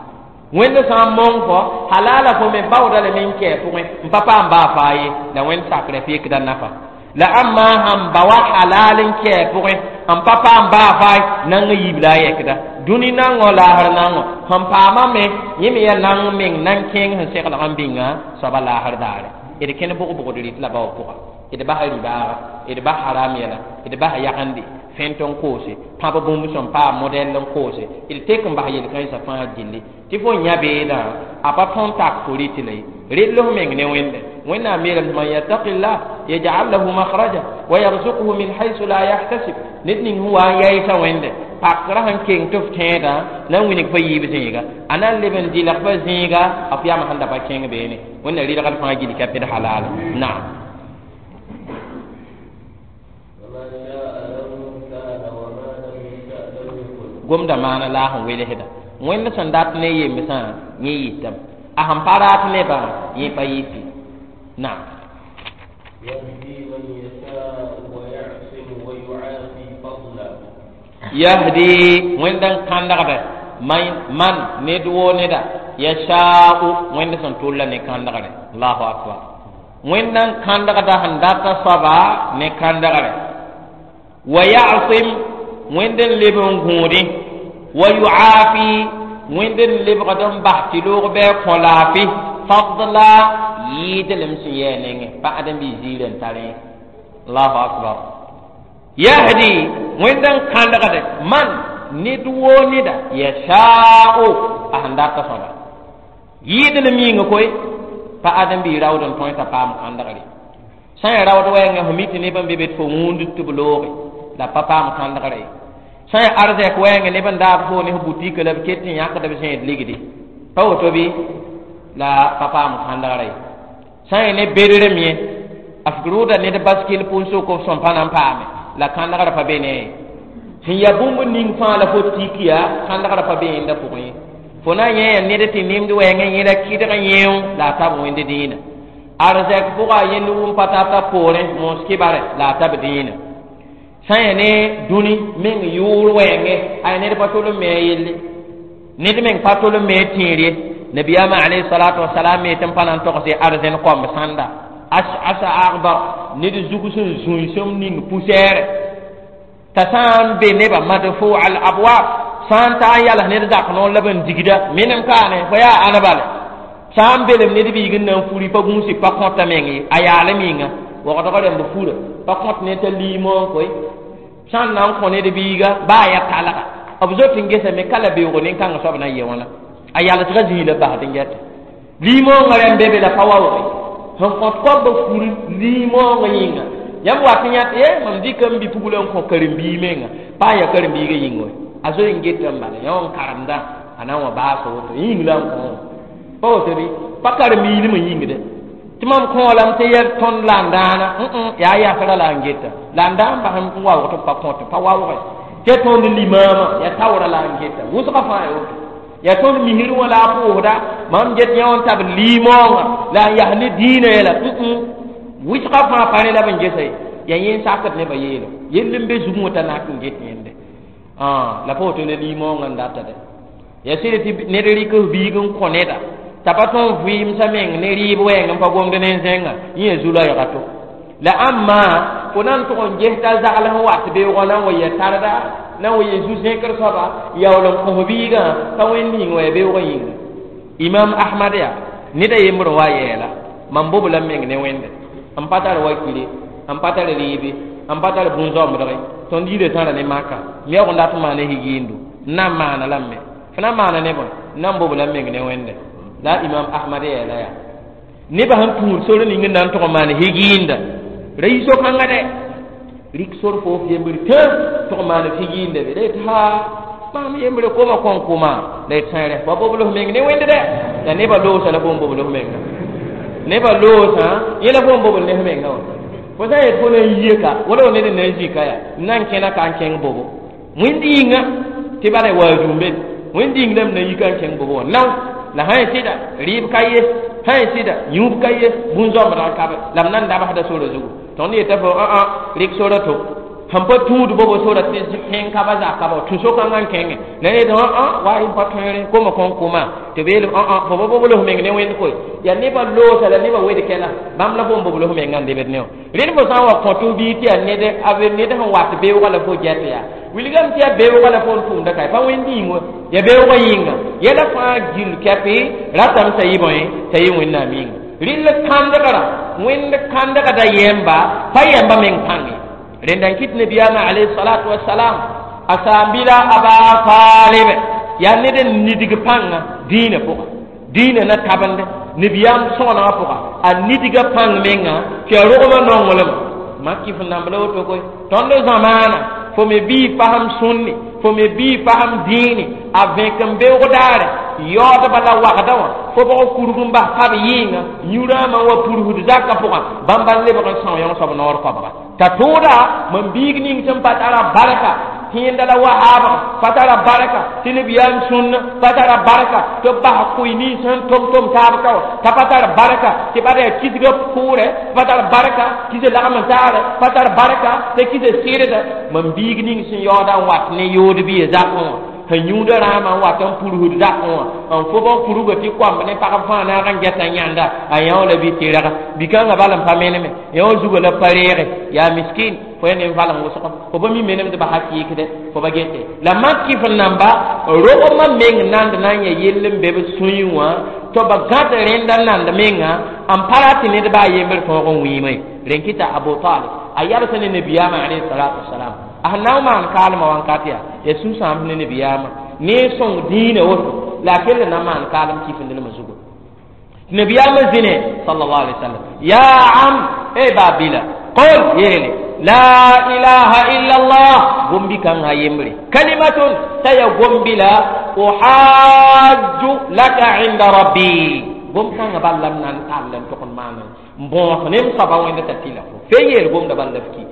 Wẽnd sã n mong fo halala fo me baooda lame n kɛ pʋgẽ n pa paam baa faa ye. La wẽnd sakrã fekda nafa. La ãmba sãn ba wa halal n kɛ pʋgẽ n pa paam baa faa nang n yiib la a yɛkda. Dũni nangõ laasr nangõ sẽn paamame yẽ me yaa nang meng nan kẽeng sẽn seglg n bĩnga soaba laasr daare. D kẽnd bʋg-bʋgd rɩt la bao pʋga. D basa ribaaga, d bas haram yɛla, d bas yagende, fẽnt n koose, pãb bũmb sẽn paam modɛl n koose, d tek n bas yel-kãensã fãa gilli. Tɩ fo yã beedã a pa tõnd tak fo rɩt la ye. Rɩt f meng ne Wẽnde. Wẽnnaam yeelame man yattaqillah yaj'al lahu makhraja wa yarzuqhu min haythu la yahtasib. Ned ning sẽn wa n yaɩsa Wẽnde pakrã sẽn keng tɩ f tẽedã na n wilg fa yiib zẽega. A na n leb n dɩlg fa zẽega f yam sẽn da pa kẽng beene. Wẽnna rɩlgd fãa gill ka pd halal. Naam. Gomda maana la sẽn welsda. Wẽnd sẽn dat ne yemsã yẽ yɩtame. A sẽn pa rat nebã yẽ pa yɩte. Naam. Yahdi wẽnd n kãndgda man ned woo neda yasha'u wẽnd sẽn tʋlla ne kãndgre. Allahu akbar. Wẽnd n kãndgda sẽn data soaba ne kãndgre. Wa ya'sim wẽnd n leb n gũudẽ. Wa yu'afi wẽnd n lebgd n bas tɩ loog bɩ a kõ laafɩ fadla yɩɩdlem sẽn yɛɛ nengẽ pa ãdem-biis ziirã n tarẽ. Allahu akbar. Yahdi wẽnd n kãndgde man ned woo neda yasha'u a sẽn data soaba yɩɩdlem yĩnga koe pa ãdem-biis raood n tõe t'a paam kãndgre. Sã n ya raood wɛɛngã fo mi tɩ neb n be be tɩ fo wũund tɩ b looge la pa paam kãndgre ye. Sã n arzɛk wɛɛngã neb n daab fo ne f butika la b ket n yãkd b zẽed ligdi pa woto bɩ la pa paam kãndgre ye. Sã n ya ne bedrem yẽ a f rʋʋda ned baskil pʋʋn-sʋk f sõm pa na n paame la kãndgrã pa be ne ye. Sẽn yaa bũmb ning fãa la fo tik yaa kãndgrã pa be yẽnda pʋgẽ ye. Fo na n yẽ yaa ned tɩ nemd wɛɛngã yẽla kɩdg yẽo la a tab wẽnd dĩinã. Arzɛk pʋga a yẽnd wʋm pa tata poorẽ moos kɩbare la a tab dĩinã. Sã n yaa ne dũni meng yʋʋr wɛɛngẽ a yaa ned pa tol n me a yelle. Ned meng pa tol n me a tẽer ye. Nabiyaamã alayhi salatu wasalam me tɩ n pa na n togs arzẽn koamb sãnda. Asa agbar ned zug sẽn zũisem ning pʋsɛɛrɛ t'a sã n be nebã madfu al abwab sã n ta n yals ned zak noor la b n digda menem kaane fo yaa ãna bale sã n belem ned biig n na n furi pa gũusi pa kõta meng ye a yaalem yĩnga wagdg rẽmb fura pa kõt ne t'a liimoog koe sã n na n kõ ned biiga baa ya talga b zot n gesame ka la beoogo nin-kãngã soab na n yɩ wãna a yalsgã zĩig la basd n gɛta liimoongã rẽmb be be la pa waoog sẽn kõt koabã fur liimoongã yĩnga yãmb wat n yãt ye mam dɩka n bi-pugla n kõ karen-biig menga pa n yaa karen-biigã yĩng wɛ a zoe n geta n bala yã wã n karemdã a na n wa baasa woto yĩng la n kõ pa woto bɩ pa karen-biilmã yĩngde tɩ mam kõolame tɩ yaa tõnd la n dãana yaa yasrã la n geta la n dãan bas n waoog tɩ pa kõte pa waoogẽ tɩ ya tõnd limaamã yaa taoorã la n geta wʋsgã fãa ya woto yaa tõnd misr wã la a pʋʋsda mam get yã wã n tab liimoongã la n yas ne dĩinã yɛla wɩsgã fãa pa rẽ la b n gesa ye yaa yẽ n sakd nebã yeelo yell n be zugẽ wã t'a nak n get yẽnde la pa woto la liimoongã n data dɛ yaa sɩd tɩ ned rɩk f biig n kõ neda t'a pa tõn vɩɩmsã meng ne rɩɩb wɛɛng n pa gomd ne n zẽnga yẽ yaa zu-loɛɛga to la ãmba fo na n tʋg n ges t'a zagl sẽn wat beoogã na n wa yɛ tarda na n wa yɛ zu-zẽkr soaba yaool n kõs biigã pa wẽnd yĩng wa ya beoogã yĩnga. Imam Ahmad yaa ned a yembr n wa yɛɛla mam bobla n meng ne Wẽnde n pa tar wakile n pa tar rɩɩbe n pa tar bũn-zãmbdge tõnd yirã tãra ne maka m yaoog n dat n maana higiindo n na n maana lame f na n maana ne bõe n na n bobla n meng ne Wẽnde la Imam Ahmad yɛɛla yaa nebã sẽn tũud sor ning n na n tʋg n maan higiinda ra yi so-kãngã dɛ rɩk sor fo f yembr tã tʋg n maan f higiinda be la yetɩ haa maam yembre koma kõn kʋma la yet sã rɛ pa bobl f meng ne Wẽnd dɛ la nebã loosa la fo n bobl f menga nebã loosã yẽ la fo n bobl ne f menga wã fo sã n yet fo na n yie ka wala wa ned n na n zika yaa n na n kẽna ka n kẽng bobo wẽnd yĩnga tɩ bala waazum be Wẽnd yĩng la m na yika n kẽng bobo wã nao la sã n sɩda rɩɩb ka ye sã n sɩda yũub ka ye bũn-zoambdã n kabe la m na n dabsda sora zugu tõnd yeta fo ã rɩk sora to sẽn pa tũud bobo sora tɩ tẽng ka ba zaka ba tũ so-kãngã n kẽngẽ la yetɩ ã wa y pa tõere koma kõn kʋma tɩ b yeel ã fo pa bobl f meng ne wẽnd koe yaa nebã loosa la nebã wed kɛla bãmb la fo n bobl f mengã n lebd ne wã rẽnd fo sã n wa kõ tɩ f biig tɩ yaa ned sẽn wat beoogã la fo gɛt yaa wilgame tɩ yaa beoogã la fo n tʋmda ka pa wẽnd yĩng wa yaa beoogã yĩnga yɛla fãa gill kɛpɩ ratame t'a yɩ bõe t'a yɩ wẽnnaam yĩnga rɩll kãndgrã wẽnd kãndgda yɛmba pa yɛmba meng pãnge rẽnda n kɩt nabiyaamã alayhi salatu wasalam a saambila a baa taalib yaa ned n nidg pãnga dĩinã pʋga dĩinã na tabende nabiyaam sõgenegã pʋga a nidga pãng menga tɩ a rogmã nonglem mak kɩf n namb la woto koe tõnd zamaana fo me bii fasem sũnni fo me bii fasem dĩini a vẽk n beoog daare yaoodba la wagda wã fo bg kurg n bas pab yɩɩnga yũ-rãamã wa purusd zakã pʋgã bãmba n lebg n são yõ soab noor koabga t'a tʋʋda mam biig ning sẽn pa tara barka kẽenda la wahaabga pa tara barka tɩ nabiyaam sũnna pa tara barka tɩ b bas kʋɩ nins sẽn tom-tom taab ka wã t'a pa tar barka tɩ pa yaa kisga pʋʋrɛ pa tar barka kisa lagm n taare pa tar barka tɩ kisa sɩrda mam biig ning sẽn yaooda n wat ne yood bɩ zakẽ wã sẽn yũuda rãamã n wat n purusd zakẽ wã n fob n kurga tɩ koamb ne pagb fãa naag n gɛta yãnda a yão la bɩ tɩrga bi-kãngã bal n pa meneme yão zuga la pa reege yaa miskin fo ya nin-valeng wʋsg fo pa mi menemdbã hakɩɩkde fo pa gete la mak kɩf n namba rogmã meng nand na n yaa yell n be b sũyẽ wã tɩ b gãd rẽnda nand menga n pa rat tɩ ned baa yembr tõog n wĩime rẽn kɩta Abu Talib a yalsa ne nabiyaamã alayhi salatu wasalam a sẽn na n maan kaalmã wãnkat yaa yaa sũ-sãamb ne nabiyaamã ne sõng dĩinã woto la a kell na n maan kaalem kifindlmã zugu nabiyaamã zĩne sallallahu alaihi wasallam ya am ey baabila qul yeele la ilaha illa allah gombi kãngã yembre kalimatun t'a ya gombila uhajju laka inda rabbi gom kãngã bal la m na n tall n tʋg n maana n bõos ne m soaba wẽnda t'a tɩla fo fe yeel gomda bal la f ki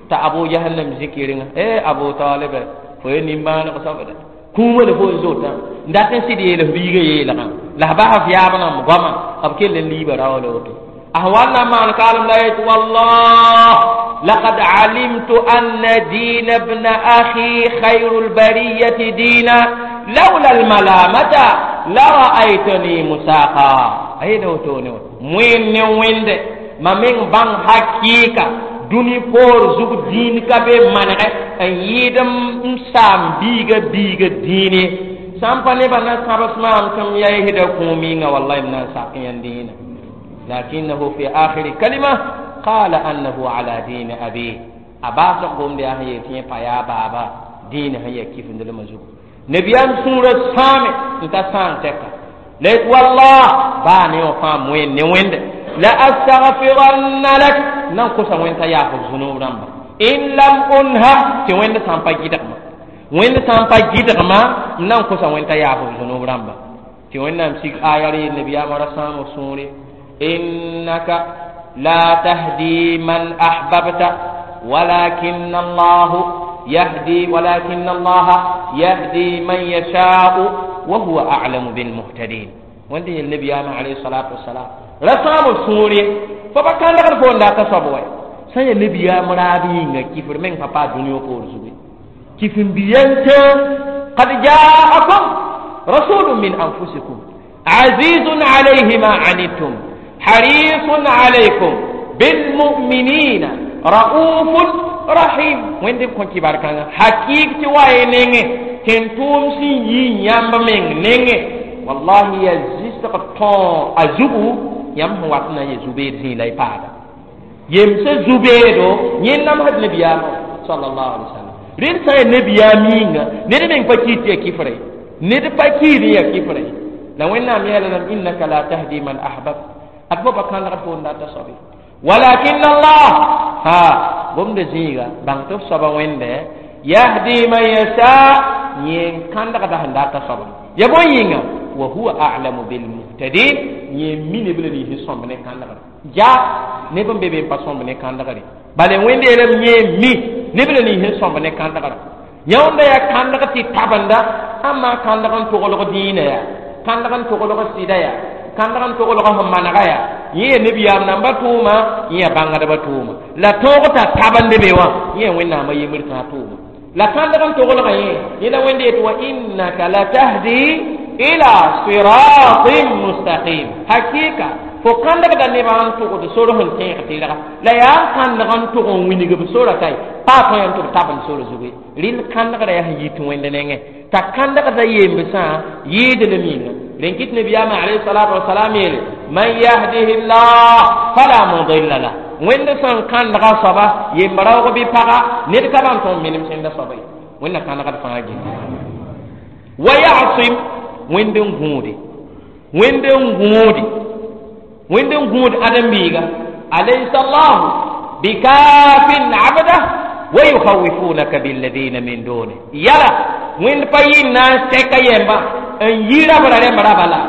t'a Abu Jahannam zikirẽngã e Abu Talib fo ye nimbãaneg soabda kũumã la fo n zotã n dat n sɩd yeel f biigã yeelgã la f bas f yaab nãmb goamã b kell n liiba raoola woto a sẽn wa n na n maan kaalem la yet wallah laqad alimtu anna diina bna akhi khayru lbariyati diina laula almalamata la ra'aytani musaqa a yeela wotone wã wẽnd ne wẽnde ma meng bãng hakɩɩka dũni poor zug dĩin ka be manegɛ n yɩɩd m saam biiga biiga dĩine sã n pa nebã na sãbs maam tɩ m yaisda kũum yĩnga wallahi m na n sak yãnd dĩinã lakinahu fi akhiri kalima qala annahu ala dini abi a baasg gomd yaa sẽn yeel tɩ yẽ pa yaa baaba dĩinã sẽn yaa kifindlmã zugu nabiyaam sũurã sãame n ta sãang tɛka la yet wallah baa ne wã fãa wẽnd ne wẽnde la astagfiranna lak nan kosa wẽnd t'a yaaf f zũnub rãmba in lam unha tɩ wẽnd sã n pa gɩdgma wẽnd sã n pa gɩdgma m na n kosa wẽnd t'a yaaf f zũnub rãmba tɩ wẽnnaam sig aya re nabiyaamã ra sãam f sũure innaka la tahdi man ahbabta walakin allah yahdi walakin allaha yahdi man yashau wa huwa a'lamu bilmuhtadin wẽnd yel nabiyaamã alayhi salatu wasalam ra sãam f sũure fo pa kãndgd fo n dat a soab wa sã n yaa nabiyaam raab yĩnga kifr meng pa paa dũni wã poor zugu kif n bi yentẽ qad jaakum rasulun min anfusikum azizun alayhi ma anittum harisun alaykum bilmuminina raufun rahim wẽnd b kõ kibar kãngã hakɩɩk tɩ wa ye nengẽ tɩ n tʋʋm sẽn yi yãmb meng nengẽ wallahi ya zɩsg tõo a zugu yãmb sẽn wat na n ya zu-beed zĩig la y paada yemsã zu-beedo yẽ namsd nabiyaamã sallallahu alaihi wasallam rẽnd sã n yaa nabiyaam yĩnga ned meng pa kiid tɩ ya kifra ye ned pa kiid n ya kifra ye la wẽnnaam yeelame innaka la tahdi man ahbab ad fo pa kãndgd fo n data soabe walakin allah ha gomda zĩiga bãng tɩ f soaba wẽnde yahdi man yasha yẽ n kãndgda sẽn data soaba ya bõe yĩnga wa huwa a'lamu bilmuhtadin yẽ mi neb la nins sõmb ne kãndgre ja neb n be be n pa sõmb ne kãndgre bala wẽnd yeelame yẽ mi neb la nins sõmb ne kãndgre Yãunda yaa kãndg tɩ tabenda ãmma kãndg n toglg dĩinã yaa kãndg n toglg sɩda yaa kãndg n toglg sẽn manega yaa yẽ yaa nabiyaam namba tʋʋma yẽ yaa bãngdbã tʋʋma la tõog t'a tabend be wã yẽ yaa wẽnnaamã yembr tã tʋʋma la kãndg n toglga yẽ yẽ la wẽnde yet wa innaka latahdi ila siratin mustaqim hakika fo kãndgda nebã n tʋgd sor sẽn tẽeg tɩrga la yaa n kãndg n tʋg n wilg b sora kae paa tõe n tɩ b tabend sor zugu rɩl kãndgrã yaa sẽn yit wẽnd nengẽ t'a kãndgda yembsã yɩɩd lem yĩnga rẽn kɩt nabiyaamã alayhi salatu wasalam yeele man yahdihi llah fala mudilla lah wẽnd sẽn kãndga soaba yemb-raoog bɩ paga ned ka bãn tõnd menem sẽnda soaba ye wẽnna kãndgd fãa gilli wa yasim wẽnd n gũude wẽnd n gũude wẽnd n gũud ãdem-biiga alaysa llahu bikafin abdah wa yukhawifunaka billadina min duni yala wẽnd pa yɩ n na n sɛka yɛmba n yi rabra rẽmb raba la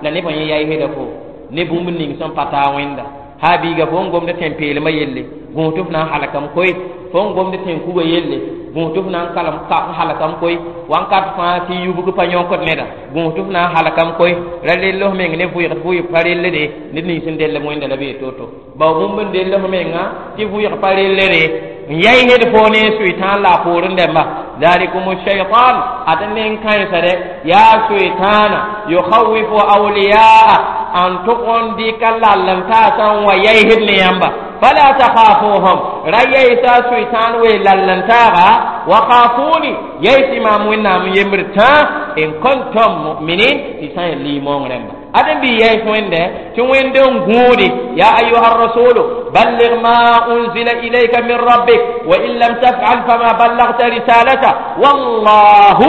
la nebã yẽ yaa heda fo ne bũmb ning sẽn pa taa wẽnda ha biiga fo n gomd tẽn-peelmã yelle gũus tɩ f na n halkame koe fo n gomd tẽn-kuga yelle gũus tɩ f na n kalem n halkame koe wãnkat fãa tɩ yubg pa yõkd neda gũus tɩ f na n halkame koe ra rell f meng ne vʋɩgd vʋɩg pa rellde ned nins sẽn dell wẽnda la bee to-to bao bũmb n dell f menga tɩ vʋɩg pa rellde n yai hed fo ne suitan la a poorẽ dẽmba dhalikum shaitan ad nen kãensa dɛ yaa suitana yukhawifu awliyaa n tʋg n dɩka lall n taasã n wa yaisd ne yãmba fala takhafuhum ra yaisa suitan we lall n taaga wa khafuni yaisi maam wẽnnaam n yembr tã in kuntum mu'minin tɩ sã n liimoong rẽmba adem bi yays wẽnde tɩ wẽnd n gũudi ya ayuha rasulu balligh ma unzila ilayka min rabbik wa in lam tafal fama ballagta risalata wallahu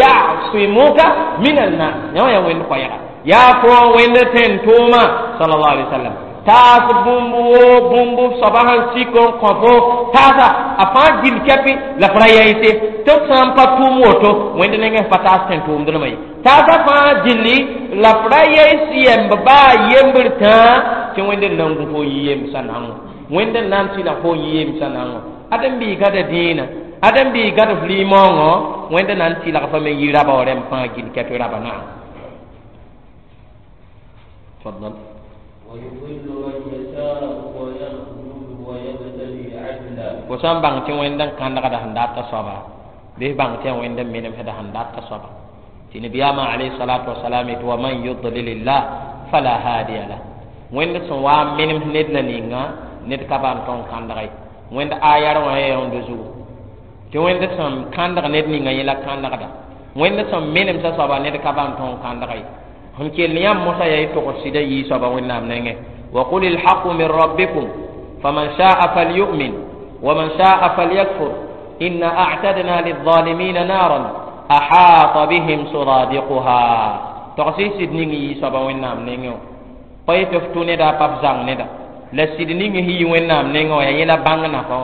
yasimuka min annas yã wã yaa wẽnd koɛɛga yaa fo wẽnd tẽn tʋʋma sallallahu alaihi wasallam taas bũmb woo bũmb soaba sẽn sik n kõ fo taasa a fãa gil kɛpɩ la f ra yaɩse tɩ f sã n pa tʋʋm woto wẽnd nengẽ pa taas tẽn tʋʋmdrmã ye taasã fãa gilli la f ra yaɩs yɛmb baa yembr tãa tɩ wẽnd n na n gũ fo n yi yemsã nango wẽnd n na n tɩla fo n yi yemsã nango ãdem-biig gada dĩinã ãdem-biig gad f limaoongõ wẽnd na n tɩlg fa me yi raba wã rẽmb fãa gil kɛpɩ raba naam تفضل ويضل من يشاء ويخذل ويبتلي عدلا fo sã n bãng tɩ wẽnd n kãndgda sẽn data soaba bɩ f bãng tɩ yaa wẽnd n menemsda sẽn data soaba tɩ nabiyaamã alayhi salatu wasalam yetɩ wa man yudlilillah fala hadiya lah wẽnd sẽn wa n menems ned la ninga ned ka bãn tõn kãndga ye wẽnd ayar wã ya yõnd zugu tɩ wẽnd sẽn kãndg ned ninga yẽ la kãndgda wẽnd sẽn menemsa soaba ned ka bãn tõn kãndga ye sẽn kell yãmb mosã yaa y togs sɩda yii soaba wẽnnaam nengẽ wa qul ilhaqu min rabbikum faman shaa falyu'min ومن شاء فليكفر إنا أعتدنا للظالمين نارا أحاط بهم سرادقها تغسي سيد نيغي يسوب وينام نيغو pa tɩ f tʋ neda pa f zãng neda la sɩd ning sẽn yi wẽnnaam nengẽ wã yaa yẽla bãng nafa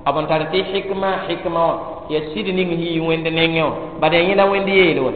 wã b n tar tɩ hikma hikma wã yaa sɩd ning sẽn yi wẽnd nengẽ wã bad yaa yẽla wẽnd yeel wa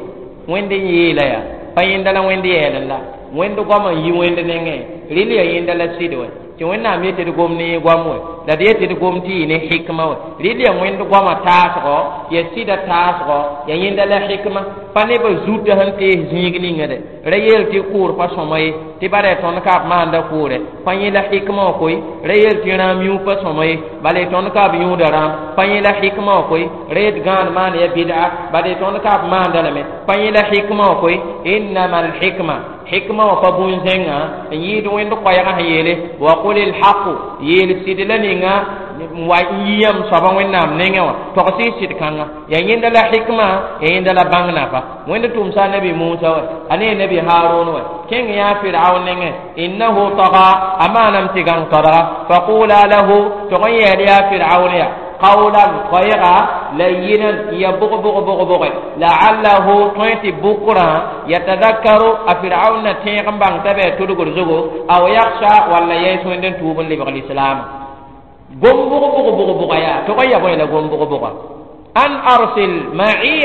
wẽnd n yeela yaa pa yẽnda la wẽnd yɛɛl la wẽnd goam n yi wẽnd nengẽ rɩl yaa yẽnda la sɩd wa tɩ wẽnnaam yetɩ d gom ne goam wɛ la d yetɩ d gom tɩ yɩ ne hikma wɛ rɩl yaa wẽnd goamã taasgɔ yaa sɩda taasgɔ yaa yẽnda la hikma pa neb zutã sẽn tees zĩig ninga dɛ ra yeel tɩ kʋʋr pa sõma ye tɩ bara yaa tõnd ka b maanda kʋʋrɛ pa yẽ la hikma wã koe ra yeel tɩ rãam yũ pa sõma ye bala y tõnd ka b yũuda rãam pa yẽ la hikma wã koe ra yet gãan maan ya bid'a bala y tõnd ka b maanda lame pa yẽ la hikma wã koe innama alhikma hikma wã pa bũn-zẽngã n yɩɩd wẽnd koɛɛgã sẽn yeele wa qul ilhaqu yeel sɩd la ninga n wa n yi yãmb soaba wẽnnaam nengẽ wã togs y sɩd kãnga yaa yẽnda la hikma yaa yẽnda la bãng nafa wẽnd tʋmsa a nabi musa wɛ a ne nabi harun wɛ kẽng yaa firaun nengẽ innahu taga a maanam tɩ gãng tadga faqula lahu tʋg n yɛɛl yaa firaun ya قولا خيرا لينا يبغ بغ بغ بغ لعله طيت بكرة يتذكر أفرعون تيغم بان تبع تدغر زغو أو يخشى ولا يسوين دن توبن لبغ الإسلام قم بغ بغ بغ بغ يا تغيب إلى قم بغ بغ أن أرسل معي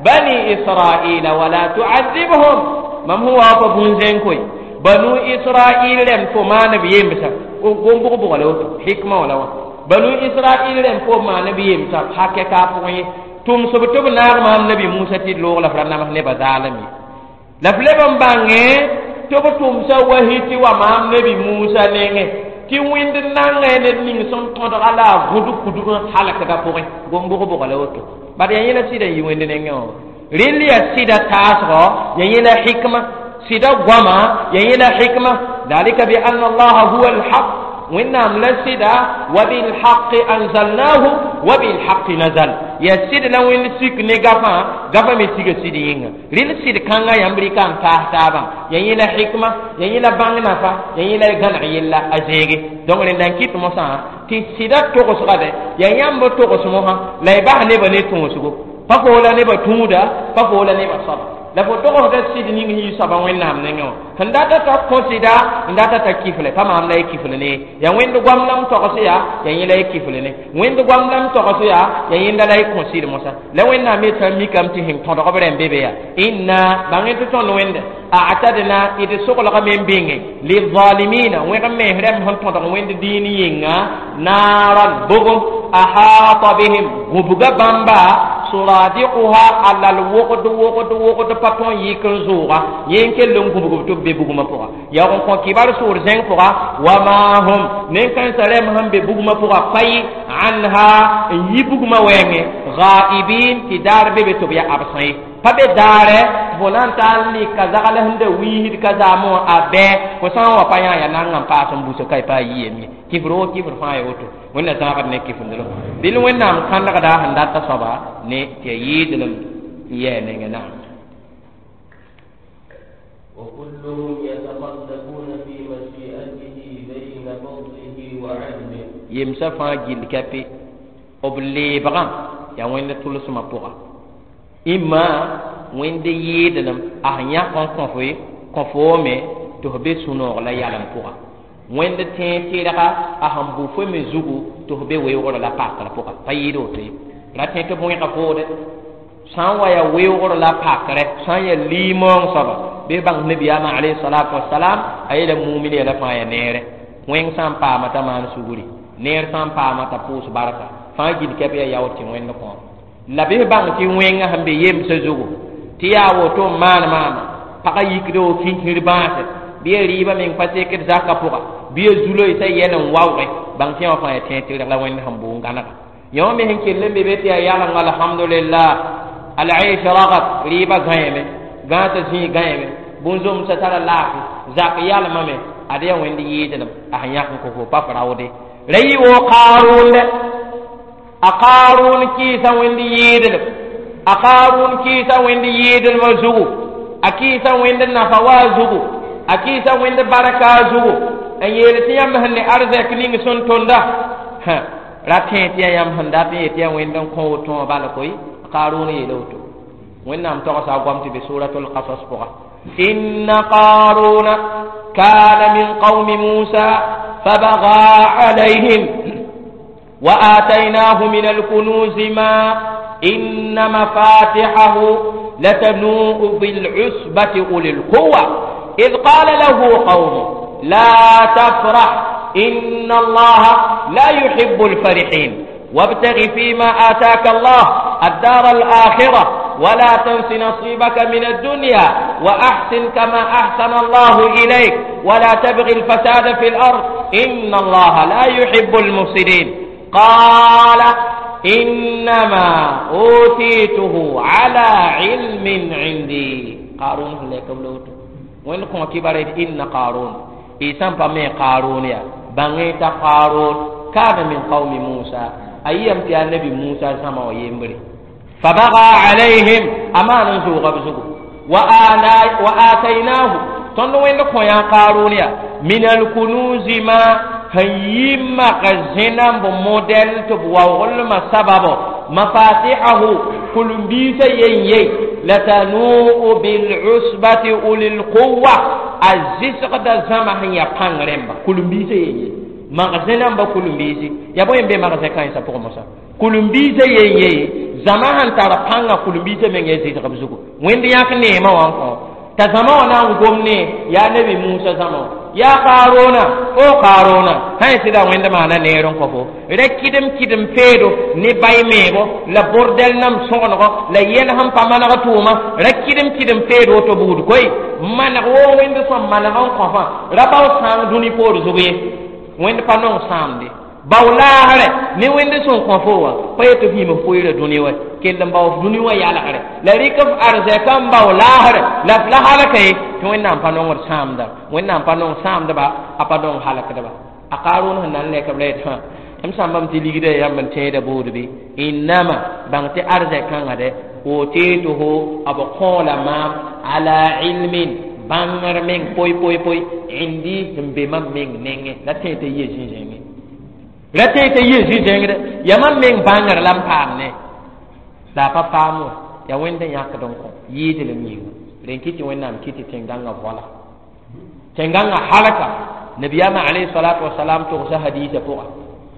بني إسرائيل ولا تعذبهم من هو أبو زنكوي بنو إسرائيل لم تمان بيمسا قم بغ بغ لو حكمة ولا banu israel rẽmb fo maan b yemsa hakɛ ka pʋgẽ ye Tʋmsb tɩ b naag maam nabi Musa tɩ d loog la f ra nams nebã zaalem ye. La f leb n bãngẽ tɩ b tʋmsa wahi tɩ wa maam nabi Musa nengẽ tɩ wẽnd nangẽ ned ning sẽn tõdga la a gũd kudg n halkdã pʋgẽ gom-bʋg-bʋga la woto. Bad yaa yẽla sɩda n yi wẽnd nengẽ wã. Rẽnd yaa sɩda taasgɔ, yaa yẽla hikma, sɩda goama, yaa yẽla hikma. Dalika bi anna allaha huwa alhaq, wẽnnaam la sɩda, wa bilhaqi anzalnahu wa bilhaqi nazal. Yaa sɩd la wẽnd sik ne gafã, gafã me siga sɩd yĩnga. Rẽnd sɩd kãngã yãmb rɩka n taas taabã, yaa yẽla hikma, yaa yẽla bãng nafa, yaa yẽla gãneg yella a zẽege. Donc rẽnda n kɩt mosã tɩ sɩda togsgade yaa yãmb togs mosã la y bas nebã ne tõosgo, pa fo la nebã tũuda, pa fo la nebã soaba. La fo togsda sɩd ning yɩ soaba wẽnnaam nengẽ wã. Sẽn data t'a kõ sɩda, n data t'a kifle, pa maam la y kifl ne. Yaa wẽnd goam la m togs yaa, yaa yẽ la y kifl ne. Wẽnd goam la m togs yaa, yaa yẽnda la y kõ sɩd mosã. La wẽnnaam yetã mikame tɩ sẽn tõdg b rẽm be be yaa inna bãng tɩ tõnd wẽnde a'tadna d soglgame n bĩnge lizalimina wẽg mens rẽmb sẽn tõdg wẽnd dĩin yĩnga naaran bugum ahata bihim gũbga bãmba suradiquha a lal wogd wogd wogd pa tõn yik n zʋʋga yẽ n kell n gũbg b tɩ b be bugmã pʋga. Yaoog n kõ kibar sʋʋr zẽng pʋga wama hum nen-kãensã rẽmb sẽn be bugmã pʋga pa yɩ anha n yi bugmã wɛɛngẽ ghaibin tɩ daar be be tɩ b yaa absã ye. Pa be daare fo na n taa n lɩka zagl sẽn da wiisd ka zaamẽ wã a bɛɛ fo sã n wa pa yã yaa nanga n paas n busa ka y pa a yiyem ye. Kifr wo kifr fãa ya woto wẽnna zãagd ne kifndrem dɩl wẽnnaam kãnegda sẽn data soaba ne tɩ ya yɩɩdlem n yɛɛ nengẽ naam. وكلهم يتقلبون في مشيئته بين فضله وعدله. Yemsã fãa gill kape b leebgã yaa wẽnd tʋlsmã pʋga imma wẽnd yɩɩdlem a sẽn yãk n kõ foe kõ foome tɩ f be sũ-noog la yalem pʋga. Wẽnd tẽeg tɩrga a sẽn bʋ fo me zugu tɩ f be weoogr la pakr pʋga pa yɩɩd woto ye. Ra tẽ tɩ b wẽga foode sã n wa yaa weoogr la pakrɛ, sã n yaa liimoong soaba bɩ bãng nabiyaamã alayhi salatu wasalam a yeela mumin yɛla fãa yaa neere. Wẽng sã n paama t'a maan sugri, neer sã n paama t'a pʋʋs barka fãa gill kɛp yaa yao tɩ wẽnd kõ la bɩ bãng tɩ wẽngã sẽn be yemsã zugu tɩ yaa woto n maan maama pagã yikd wo kĩnkir bãase bɩ ya rɩɩbã meng pa sekd zakã pʋga bɩ ya zuloɩsã yɛl n waooge bãng tɩ wã fãa yaa tẽeg tɩrg la wẽnd sẽn bʋ n gãnega. Yõ me sẽn kell n be be tɩ yaa yalenga alhamdulillah al-aish ragad rɩɩbã gãeeme gãasã zĩig gãeeme bũn-zomsã tara laafɩ zak yalmame ad yaa wẽnd yɩɩdlem a sẽn yãk n kõ fo pa f raoode ra yɩ woo Qaaruun dɛ a Qaaruun kɩɩsã wẽnd yɩɩdlem a Qaaruun kɩɩsã wẽnd yɩɩdlmã zugu a kɩɩsã wẽnd nafa waa zugu a kɩɩsã wẽnd barka zugu n yeel tɩ yãmb sẽn ne arzɛk ning sẽn tõnda ra tẽ tɩ yaa yãmb sẽn dat n yet yaa wẽnd n kõ woto wã bala koe. Qaaruun yeela woto wẽnnaam togsa a goam tɩ be suratul qasas pʋga inna qaaruna kana min qaumi Musa fabaga alayhim وآتيناه من الكنوز ما إن مفاتحه لتنوء بالعصبة أولي القوة إذ قال له قومه لا تفرح إن الله لا يحب الفرحين وابتغ فيما آتاك الله الدار الآخرة ولا تنس نصيبك من الدنيا وأحسن كما أحسن الله إليك ولا تبغ الفساد في الأرض إن الله لا يحب المفسدين قال إنما أوتيته على علم عندي. قارون لك بلوتو وين كون كبارت إن قارون إيسان بامي قارون يا بانيتا قارون كان من قوم موسى أيام تي النبي موسى سما ويمبري فبغى عليهم أمان زوغ بزوغ وآتيناه tõnd wẽnd kõ yã Qaaruun ya min alkunuzi ma sẽn yi mak zẽnamb modɛl tɩ b waoglmã sababo mafatihahu kul-biisã yen ye latanuu bilusbati ulil quwa a zɩsgda zãma sẽn yaa pãng rẽmba kul-biisã yen ye mak zẽnamba kul-biisi yaa bõe n be mak zẽ kãensã pʋgẽ mosã kul-biisã yen ye zãma sẽn tar pãngã kul-biisã meng ya zɩsg b zugu wẽnd yãk neemã wã n kõ t'a zãma wã na n gom ne yaa nabi Musa zãma wã. Yaa Kaarona, fo Kaarona, sã n sɩda Wẽnd maana neer n kõ fo ra kɩdem kɩdem peedo ne bay meebo la bordɛl nam sõgenego la yɛl sẽn pa maneg tʋʋma ra kɩdem kɩdem peed woto buud koe maneg woo Wẽnd sõm maneg n kõfã ra bao sãang dũni poor zug ye. Wẽnd pa nong sãamde bao laasrɛ ne Wẽnd sẽn kõ fo wã pa yetɩ f yĩm f pʋɩɩra dũni wa kell n bao f dũni wã yalgre la rɩk f arzɛka n bao laasrɛ la f la halka ye tɩ Wẽnnaam pa nongd sãamda. Wẽnnaam pa nong sãamdba, a pa nong halkdba. A Kaarʋn sẽn na n lɛk b la yetɩ m sãmbame tɩ ligda yãmb n tẽeda buud bɩ innama bãng tɩ arzɛk-kãngã dɛ otituhu b kõola maam ala ilmin bãngr meng poy poy poy indi sẽn be mam meng nengẽ la tẽ tɩ yɩ zĩ-zẽngẽ ra tẽ tɩ yɩ zĩ-zẽngdɛ yaa mam meng bãngr la n paam ne la a pa paam wã yaa Wẽnd n yãkd n kõ yɩɩdlem yĩnga rẽn kɩ tɩ Wẽnnaam kɩ tɩ tẽn-gãngã voala tẽn-gãngã halka. Nabiyaamã alayhi salatu wasalam togsa hadiisã pʋga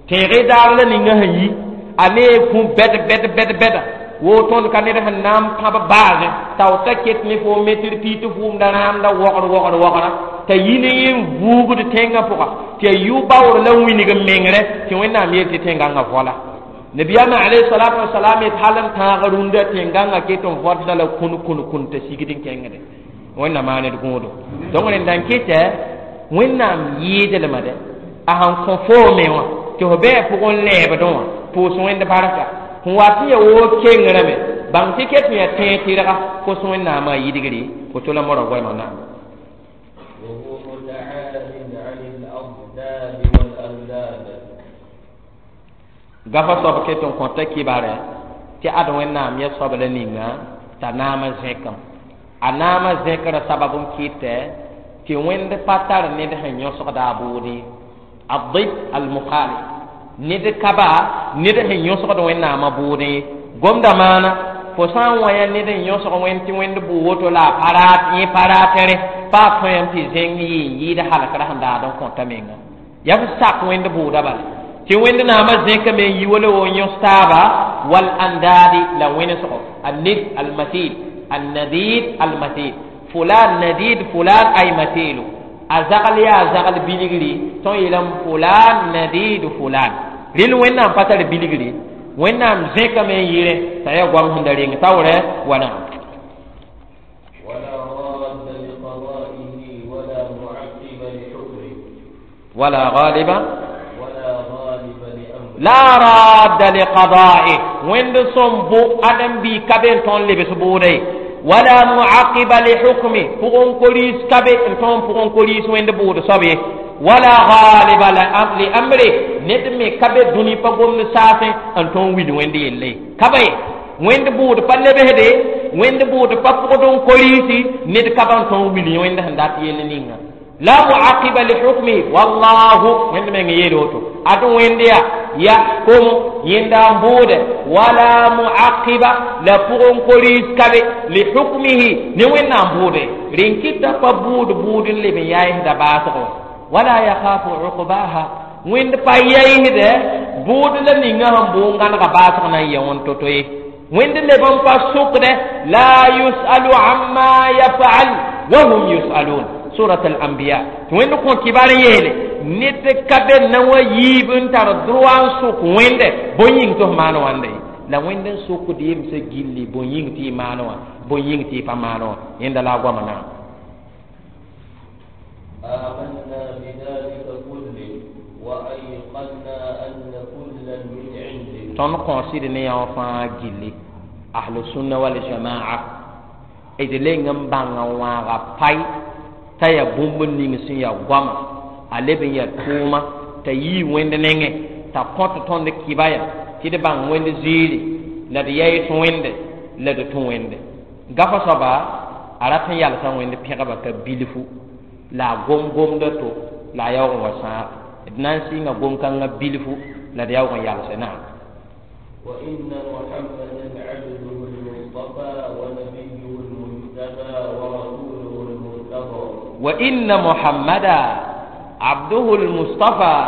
tẽege daar la ninga sẽn yi a ne kũ bɛd bɛd bɛd bɛda wo tõnd ka ned sẽn na n pãb baase tao t'a ket ne fo metr pi tɩ vʋʋmda rãamda wogr wogr wogra t'a yi ne yẽ n vuugd tẽngã pʋga tɩ a yʋ baoor la wilg n mengrɛ tɩ Wẽnnaam yeel tɩ tẽn-gãngã voala. Nabiyaamã alayhi salatu wasalam yet hal n tãag rũndã tẽn-gãngã ket n võtda la kũn kũn kũn t'a sigd n kẽngde Wẽnnaam maa ned gõodo. Donc rẽnda n kɩtɛ Wẽnnaam yɩɩdlmã dɛ a sẽn kõ foo me wã tɩ fo bɩ pʋgẽ lɛɛbdẽ wã pʋʋs Wẽnd barka sẽn wa tɩ ya woo kengrame bãng tɩ ket n yaa tẽeg tɩrga kos Wẽnnaamã yidgre woto la modg goamã naam. وهو متعال عن الأضداد والأنداد. Gafa soab ket n kõta kibare tɩ ad Wẽnnaam ya soab la ninga t'a naamã zẽkame a naamã zẽkra sabab n kɩtɛ tɩ Wẽnd pa tar ned sẽn yõsgda a bʋʋd الضد المخالف ned ka ba ned sẽn yõsgd Wẽnnaamã bʋʋdẽ gomda maana fo sã n wa yaa ned n yõsg Wẽnd tɩ Wẽnd bʋ woto la a pa raat yẽ pa raatẽre pa a tõe tɩ zẽng yɩ n yɩɩd halkra sẽn daad n kõta menga yaa f sak Wẽnd bʋʋda bala tɩ Wẽnd naamã zẽkame n yi wala wo n yõs taaba wal andadi la wẽnesgo الند المثيل النديد المثيل فلان نديد فلان ay mathilu a zagl yaa zagl bilgri tõn yeelame fulan nadidu fulan rel Wẽnnaam pa tar bilgri Wẽnnaam zẽkame n yɩrẽ t'a yaa goam sẽn da reng taoorɛ wa naam. ولا راد لقضائه ولا معقب لحكمه. ولا غالب ولا غالب لأمره. لا راد لقضائه Wẽnd sõm bʋ ãdem-bi ka be n tõnd lebs bʋʋda ye ولا معقب لحكمه pʋgẽ koris ka be n tõnd pʋgẽ koris Wẽnd bʋʋd soab ye ولا غالب لأمره ned me ka be dũni pa gomd saasẽ n tõnd wil Wẽnd yelle ka ba ye Wẽnd bʋʋd pa lebsde Wẽnd bʋʋd pa pʋgd n korisi ned ka ba n tõnd wil Wẽnd sẽn dat yell ninga لا معقب لحكمه والله Wẽnd meng yeel woto ad Wẽnd ya يحكم yẽnda n bʋʋde ولا معقب la pʋgẽ koris ka be لحكمه ne Wẽnnaam bʋʋde rẽn kɩta pa bʋʋd bʋʋd n leb n yaɩsda baasgo ولا يخاف عقباها Wẽnd pa yaɩsdɛ bʋʋd la ninga sẽn bʋʋ n gãnega baasg na n yɛ wẽnd to-to ye Wẽnd leb n pa sʋkdɛ لا يسأل عما يفعل وهم يسألون سورة الأنبياء tɩ Wẽnd kõ kibar n yeele ned ka be na wa yiib n tar droit n sʋk Wẽnde bõe yĩng tɩ f maan wãnda ye la Wẽnd n sʋkd yemsã gilli bõe yĩng tɩ y maan wã bõe yĩng tɩ y pa maan wã yẽnda la a goama naam. آمنا بذلك كله وأيقنا أن كلا من عنده. Tõnd kõosd ne yã wã fãa gilli ahlu sunna wal jamaa d leng n bãnga wãaga pai t'a yaa bũmb ning sẽn yaa goama a leb n yaa tʋʋma t'a yii Wẽnd nengẽ t'a kõt tõnd kɩba ya tɩ d bãng Wẽnd ziiri la d yaɩs Wẽnde la d tũ Wẽnde gafa soaba a rat n yalsa Wẽnd pẽgba ka bilfu la a gom-gomda to la a yaoog n wa sãag d na n sɩnga gom-kãngã bilfu la d yaoog n yalse naam. وإن محمدا عبده المصطفى ونبيه المجتبى ورسوله المرتضى. وإن محمدا عبده المصطفى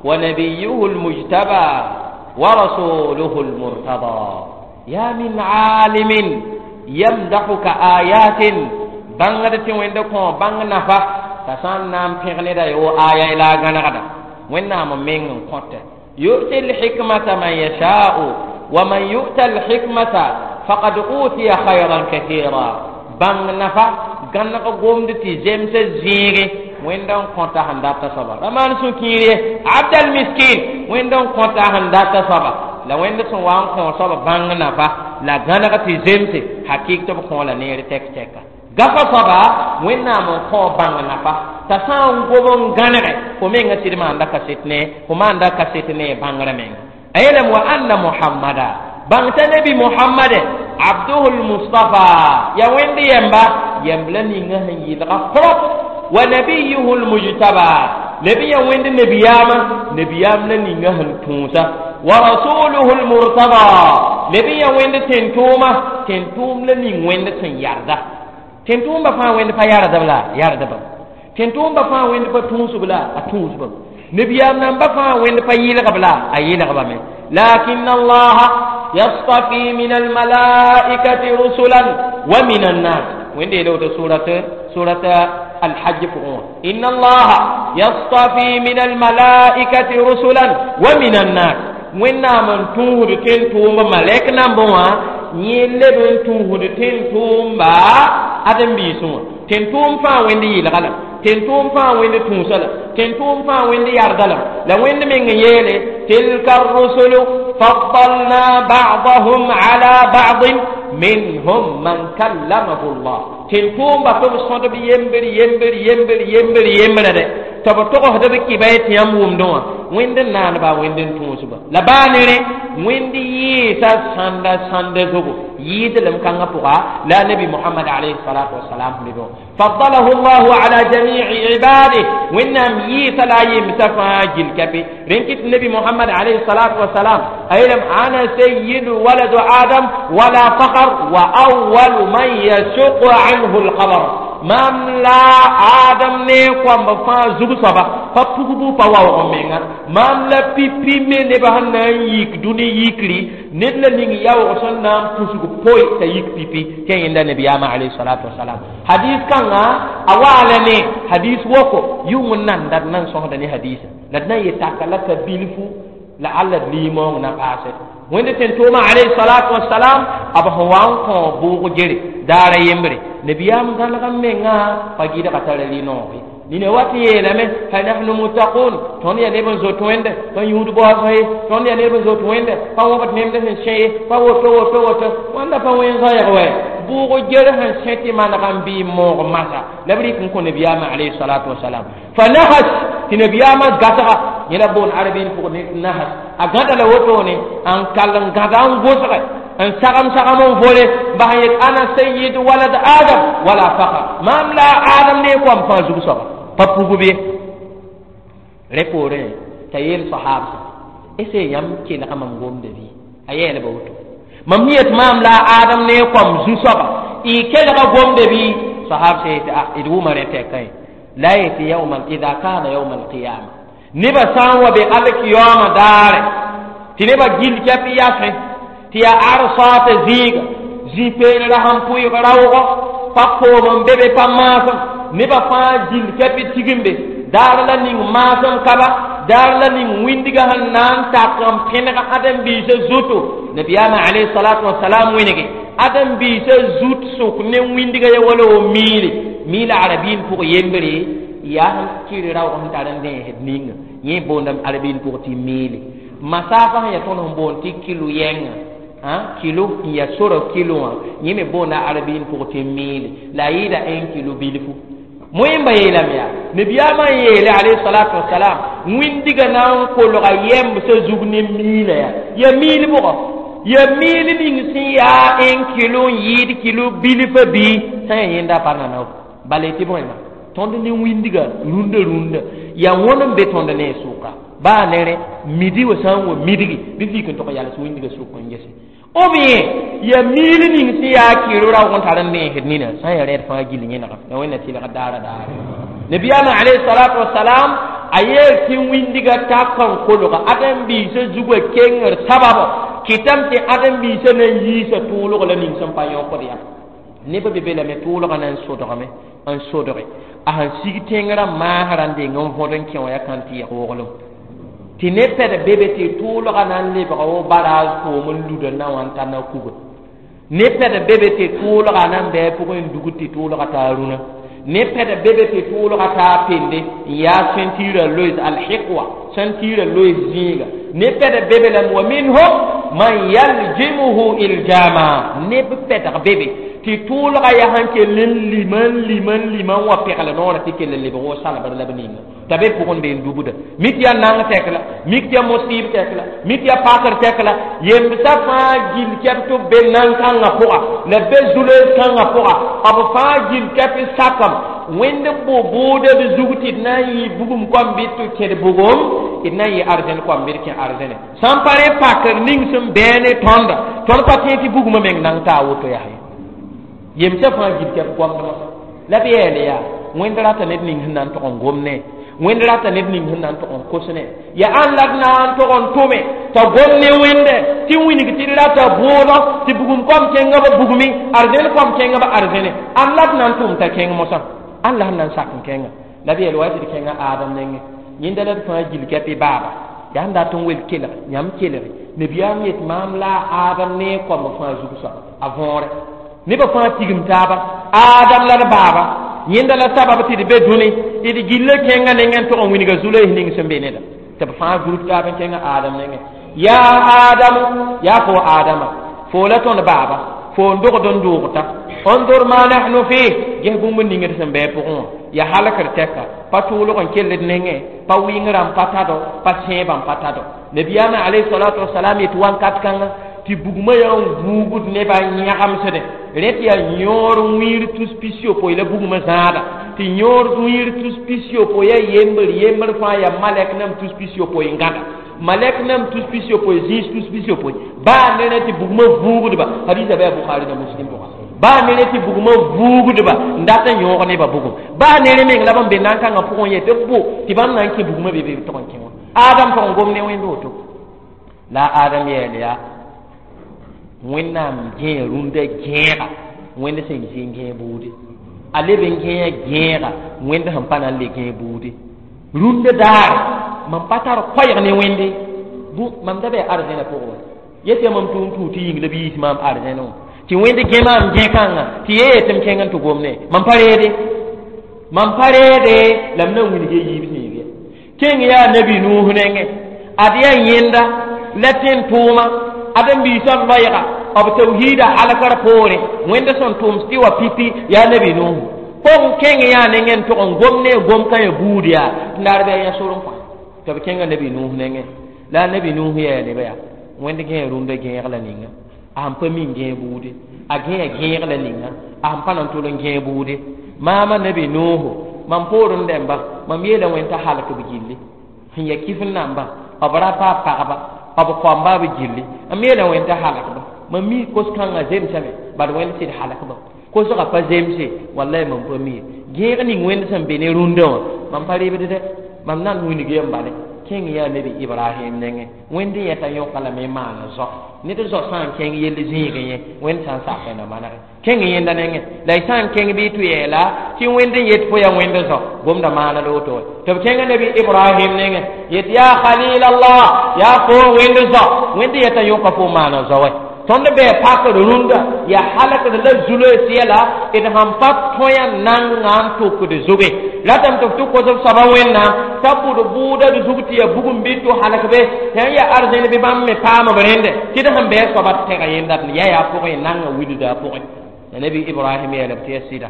ونبيه المجتبى ورسوله المرتضى يا من عالم يمدحك آيات bãngd tɩ Wẽnd kõ bãng nafa. T'a sã n na n pẽg neda yo aya la a gãnegda Wẽnnaam n meng n kõta yu'ti lhikmata man yasha'u wa man yu'ta lhikmata faqad utiya khayran kathira. Bãng nafa gãneg gomd tɩ zemsa zẽege Wẽnd n kõta sẽn data soaba ra maan sũ-kiir ye abdal miskin Wẽnd n kõta sẽn data soaba la Wẽnd sẽn wa n kõ soaba bãng nafa la gãneg tɩ zemse hakɩk tɩ b kõ la neer tɛk-tɛka gafa soaba Wẽnnaam n kõ bãng nafa t'a sã n gob n gãnege fo menga sɩd maanda kaset ne fo maanda kaset ne bãngrã menga a yeelame wa anna Muhammada bãng t'a nabi Muhammade abduhu lmustafa ya Wẽnd yɛmba yɛmb la ninga sẽn yɩlga prop wa nabiyuhu lmujtaba lebi ya Wẽnd nebiyaamã nebiyaam la ninga sẽn tũusa wa rasuluhu lmurtada lebi ya Wẽnd tẽn-tʋʋma tẽn-tʋʋm la ning Wẽnd sẽn yarda tẽn-tʋʋmba fãa Wẽnd pa yardb la yardbam tẽn-tʋʋmba fãa Wẽnd pa tũusb la a tũusbam nebiyaam namba fãa Wẽnd pa yɩlgb la a yɩlgbame lakin allaha yastafi min almalaikati rusulan wa min annas. Wẽnd yeela woto surat الحج pʋgẽ inna allaha yastafi min almalaikati rusulan wa min annas. Wẽnnaam n tũusd tẽn-tʋʋmba malɛk nambẽ wã yẽ leb n tũusd tẽn-tʋʋmba ãdem-biisẽ wã tẽn-tʋʋm fãa Wẽnd yɩlga la tẽn-tʋʋm fãa Wẽnd tũusa la tẽn-tʋʋm fãa Wẽnd yarda la la Wẽnd meng n yeele tilka rusulu faddalna ba'dahum ala ba'din minhum man kallamahu llah tẽn-tʋʋmba tɩ b sõdb yembr yembr yembr yembr yembrã dɛ tɩ b togsd b kɩba tɩ yãmb wʋmdẽ wã Wẽnd n naanba Wẽnd n tũusba la baa ne rẽ Wẽnd yɩɩsa sãnda sãnda zugu yɩɩd lem kãngã pʋga la nabi Muhammad alayhi salatu wasalam lebẽ wã faddalahu llahu ala jami'i ibadih Wẽnnaam yɩɩsa la a yemsã fãa gil kape rẽn kɩt nabi Muhammad alayhi salatu wasalam a yeelame ana sayyidu waladu Adam wala fakhr wa awwalu man yashuqu anhu lqabr mam la Adam ne koamb fãa zug soaba pa pugbu pa waoog n menga mam la pipi me nebã sẽn na n yik dũni yikri ned la ning yaoog sẽn na n pusg poe t'a yik pipi tɩ yẽnda nabiyaamã alayhi salatu wasalam hadis kãngã a waa la ne hadis woko yʋng n nanda d nan sõsda ne hadisa la d na n yetaka la ka bilfu la alla d liimoong na paase Wẽnd tẽn-tʋʋmã alayhi salatu wasalam b sẽn wa n kõ bʋʋg gere daara yembre nabiyaam gãneg n mengã pa gɩdga tara rɩ-noog ye nina wat n yeelame hal nahnu muttaqun tõnd yaa neb n zot Wẽnde pa yũud baoosg ye tõnd yaa neb n zot Wẽnde pa wõbd nemd sẽn sẽ ye pa woto woto woto wãnda pa wẽn zoɛɛg wɛ bʋʋg ger sẽn sẽ tɩ maneg n bɩ moog masa la b rɩk n kõ nabiyaamã alayhi salatu wasalam fa nahas tɩ nabiyaamã gasga yẽ la boon arabɩn pʋg nahas a gãda la wotone n kall n gãda n gʋsge n sagam sagam n vole bas n yet ana sayyid walad Adam wala fakhr mam la Adam ne koam fãa zug soaba pa pugb ye rẽ poorẽ t'a yeel sahabsã ese yãmb kelga mam gomda bɩ a yɛɛlba woto mam yet maam la Adam ne koam zu-soaba y kelga gomda bɩ sahab sã yetɩ a d wʋma rẽ tɛkã ye la yetɩ yawma ida kana yawma alqiyama nebã sã n wa be alkiyaoomã daare tɩ nebã gill kɛp yasẽ tɩ yaa arsaata zĩiga zĩ-peelra sẽn pʋɩg raoogɔ pa koom n be be pa maasem nebã fãa gill kɛp tigimbe daar la ning maasem kaba daar la ning wĩndiga sẽn na n tak n pẽneg ãdem-biisã zuto nabiyaamã alayhi salatu wasalam wẽnege ãdem-biisã zut sʋk ne wĩndiga ya wala wo miile miila arabiin pʋg yembre yaa sẽn kɩr raoog sẽn tar n dẽesd ninga yẽ boondame arabiin pʋg tɩ miile masaafã sẽn yaa tõnd sẽn boond tɩ kilo yɛnga kilo n yaa sora kilo wã yẽ me boonda arabiin pʋg tɩ miile la a yɩɩda 1 kilo bilfu moẽmba yeelame yaa nabiyaamã n yeele alayhi salatu wasalam wĩndiga na n kolga yɛmbsã zug ne miila yaa ya miil bʋgɔ ya miil ning sẽn yaa 1 kilo n yɩɩd kilo bilfã bii sã n yaa yẽnda pa nana bala tɩ bõema tõnd ne wĩndiga rũndã rũndã yaa wõn n be tõnd ne sʋka baa ne rẽ midi wa sã n wa midgi bɩ vik n tog yals wĩndiga sʋk n gese ou bien ya miil ning sẽn yaa kɩɩr raoog n tar n dẽesd nina sã n yaa rẽed fãa gill yẽnega la Wẽnna tɩlg daara daare nabiyaamã alayhi salatu wasalam a yeel tɩ wĩndiga tak n kolga ãdem-biisã zugã kengr sababo kɩtame tɩ ãdem-biisã na n yiisa tʋʋlg la ning sẽn pa yõkd yã Neb be be lame tʋʋlgã na n sodgame n sodge a sẽn sig tẽngrã maasrã n deng n võd n kẽ wã yaa kãn tɩ yɛg woglem tɩ ne pɛd be be tɩ tʋʋlgã na n lebga wo baraas koom n luda na wã n ta na kuga ne pɛd be be tɩ tʋʋlgã na n bɩ a pʋgẽ n dugd tɩ tʋʋlgã taa rũnã ne pɛd be be tɩ tʋʋlgã taa pende n yaa sẽntɩɩrã loees alhiqwa sẽntɩɩrã loees zĩiga ne pɛd be be lame wa minhum man yaljimuhu iljama neb pɛdg be be tɩ tʋʋlgã yaa sẽn kell n lima n lima n lima n wa pegl noorã tɩ kell n lebg wo salbd la b ninga t'a be pʋgẽ be n dubda mik yaa nang tɛk la mik tɩ yaa mosɩɩb tɛk la mik yaa pakr tɛk la yemsã fãa gill kɛp tɩ b be nan-kãngã pʋga la b be zu-loees kãngã pʋga b fãa gill kɛp n sakam wẽnd bo bʋʋda d zug tɩ d na n yɩ bugum koam bɩ tɩ kẽd bugum d na n yɩ arzẽn koam bɩ d kẽ arzẽne sã n pa rẽ pakr ning sẽn bɛɛ ne tõnda tõnd pa tẽeg tɩ bugmã meng nang taa woto yaa ye yemsã fãa gill kɛp goamdmã la b yɛɛle yaa wẽnd rata ned ning sẽn na n tog n gom ne wẽnd rata ned ning sẽn na n tog n kos ne yaa ãn la d na n tog n tʋme t'a gom ne wẽnde tɩ wilg tɩ d rata bʋʋdɔ tɩ bugum koam kẽngã b bugmi arzẽn koam kẽngã b arzẽne ãn la d na n tʋm t'a kẽng mosã ãn la sẽn na n sak n kẽnga la b yeel wa tɩ d kẽngã Adam nengẽ yẽnda la d fãa gill kɛp y baaba yaa sẽn dat n wel kelg yãmb kelge nabiyaam yet maam la a Adam ne koamb fãa zug soaba a võore nebã fãa tigim taaba Adam la d baaba yẽnda la sabab tɩ d be dũni d gilla kẽngã nengẽ n tog n wilga zu-loees ning sẽn be neda tɩ b fãa gurub taab n kẽngã Adam nengẽ yaa Adamu yaa fo Adama fo la tõnd baaba fo n dogd n doogta انظر ما نحن فيه ges bũmb ning d sẽn bɩ pʋgẽ wã yaa halkr tɛka pa tʋʋlg n kell d nengẽ pa wɩngrã n pa tado pa sẽebã n pa tado nabiyaamã alayhi salatu wasalam yetɩ wãnkat kãngã tɩ bugmã yaa n vuugd nebã n yãgemsdẽ rẽ tɩ yaa yõor wĩir tus pis-yopoe la bugmã zãada tɩ yõor wĩir tus pis-yopoe yaa yembr yembr fãa yaa malɛk nam tus pis-yopoe n gãda malɛk nam tus pis-yopoe zĩis tus pis-yopoe baa ne rẽ tɩ bugmã vuugdba hadiisa bɩ a Bukhari la Muslim pʋga baa ne rẽ tɩ bugmã vuugdba n dat n yõog nebã bugum baa ne rẽ meng la bãmb be nan-kãngã pʋgẽ yetɩ b bo tɩ bãmb na n kẽ bugmã be be b tog n kẽ wã Adam tog n gom ne wẽnd woto la Adam yeel yaa wẽnnaam gẽe rũndã gẽega wẽnd sẽn zĩ n gẽe buude a leb n gẽe gẽega wẽnd sẽn pa na n le gẽe buude rũndã daare mam pa tar koɛɛg ne wẽnde mam da bɩ arzẽnã pʋgẽ wa yetɩ yaa mam tʋʋm tʋʋg tɩ yĩng la b yiis maam arzẽnẽ wã tɩ wẽnd gẽ maam gẽ-kãngã tɩ ye yetɩ m kẽng n tɩ gomne mam pa reede mam pa reede la m na n wilg yiib zĩig ye kẽng yaa nabi Nuus nengẽ ad yaa yẽnda la tẽn tʋʋma ad n biisã loɛɛga b tawhiida halkr poore wẽnd sẽn tʋms tɩ wa pipi yaa nabi Nuus pʋgẽ kẽng yaa nengẽ n tog n gom ne gom kã ya buud yaa tɩ naar bɩ a yã sor n kõ tɩ b kẽnga nabi Nuus nengẽ la nabi Nuus yaa nebã yaa wẽnd gẽe rũndã gẽeg la ninga a sẽn pa min gẽe buude a gẽe gẽeg la ninga a sẽn pa na n tol n gẽe buude maama nabi Nuuhu mam poor n dẽmba mam yeela wẽnd t'a halk b gilli sẽn ya kɩf n namba b rapa a pagba b koamba b gilli m yeela wẽnd t'a halkba mam mi kos-kãngã zemsame bad wẽnd sɩd halkba kosgã pa zemse wallay mam pa mi ye gẽeg ning wẽnd sẽn be ne rũndã wã mam pa rebd dɛ mam na n wilg yem bale kẽng yaa nabi Ibrahim nengẽ wẽnd yẽta yõka lame n maana zao ned zao sã n kẽng yell zĩigẽ yẽ wẽnd sã n sak na manege kẽng yẽnda nengẽ la y sã n kẽng bɩ tɩ yeela tɩ wẽnd n yet fo yaa wẽnd zao gomda maana la woto wa tɩ b kẽnga nabi Ibrahim nengẽ yet yaa khalil Allah yaa fo wẽnd zao wẽnd yẽta yõka fo maana zao wa tõnd bɩ pakd rũndã yaa halkd la zu-loees yɛla d sãn pa tõe nanga n tʋkd zuge ratame tɩ f tɩ kos b soaba wẽnnaam t'a bʋd bʋʋda d zug tɩ yaa bugum bɩ tʋ halk be tɩ yaa arzẽn bɩ bãmb me paam b rẽnde tɩ d sẽn bɩ a soaba tɛga yẽnda d ya yaa pʋgẽ nanga wilda a pʋgẽ la nabi Ibrahim yeelb tɩ yaa sɩda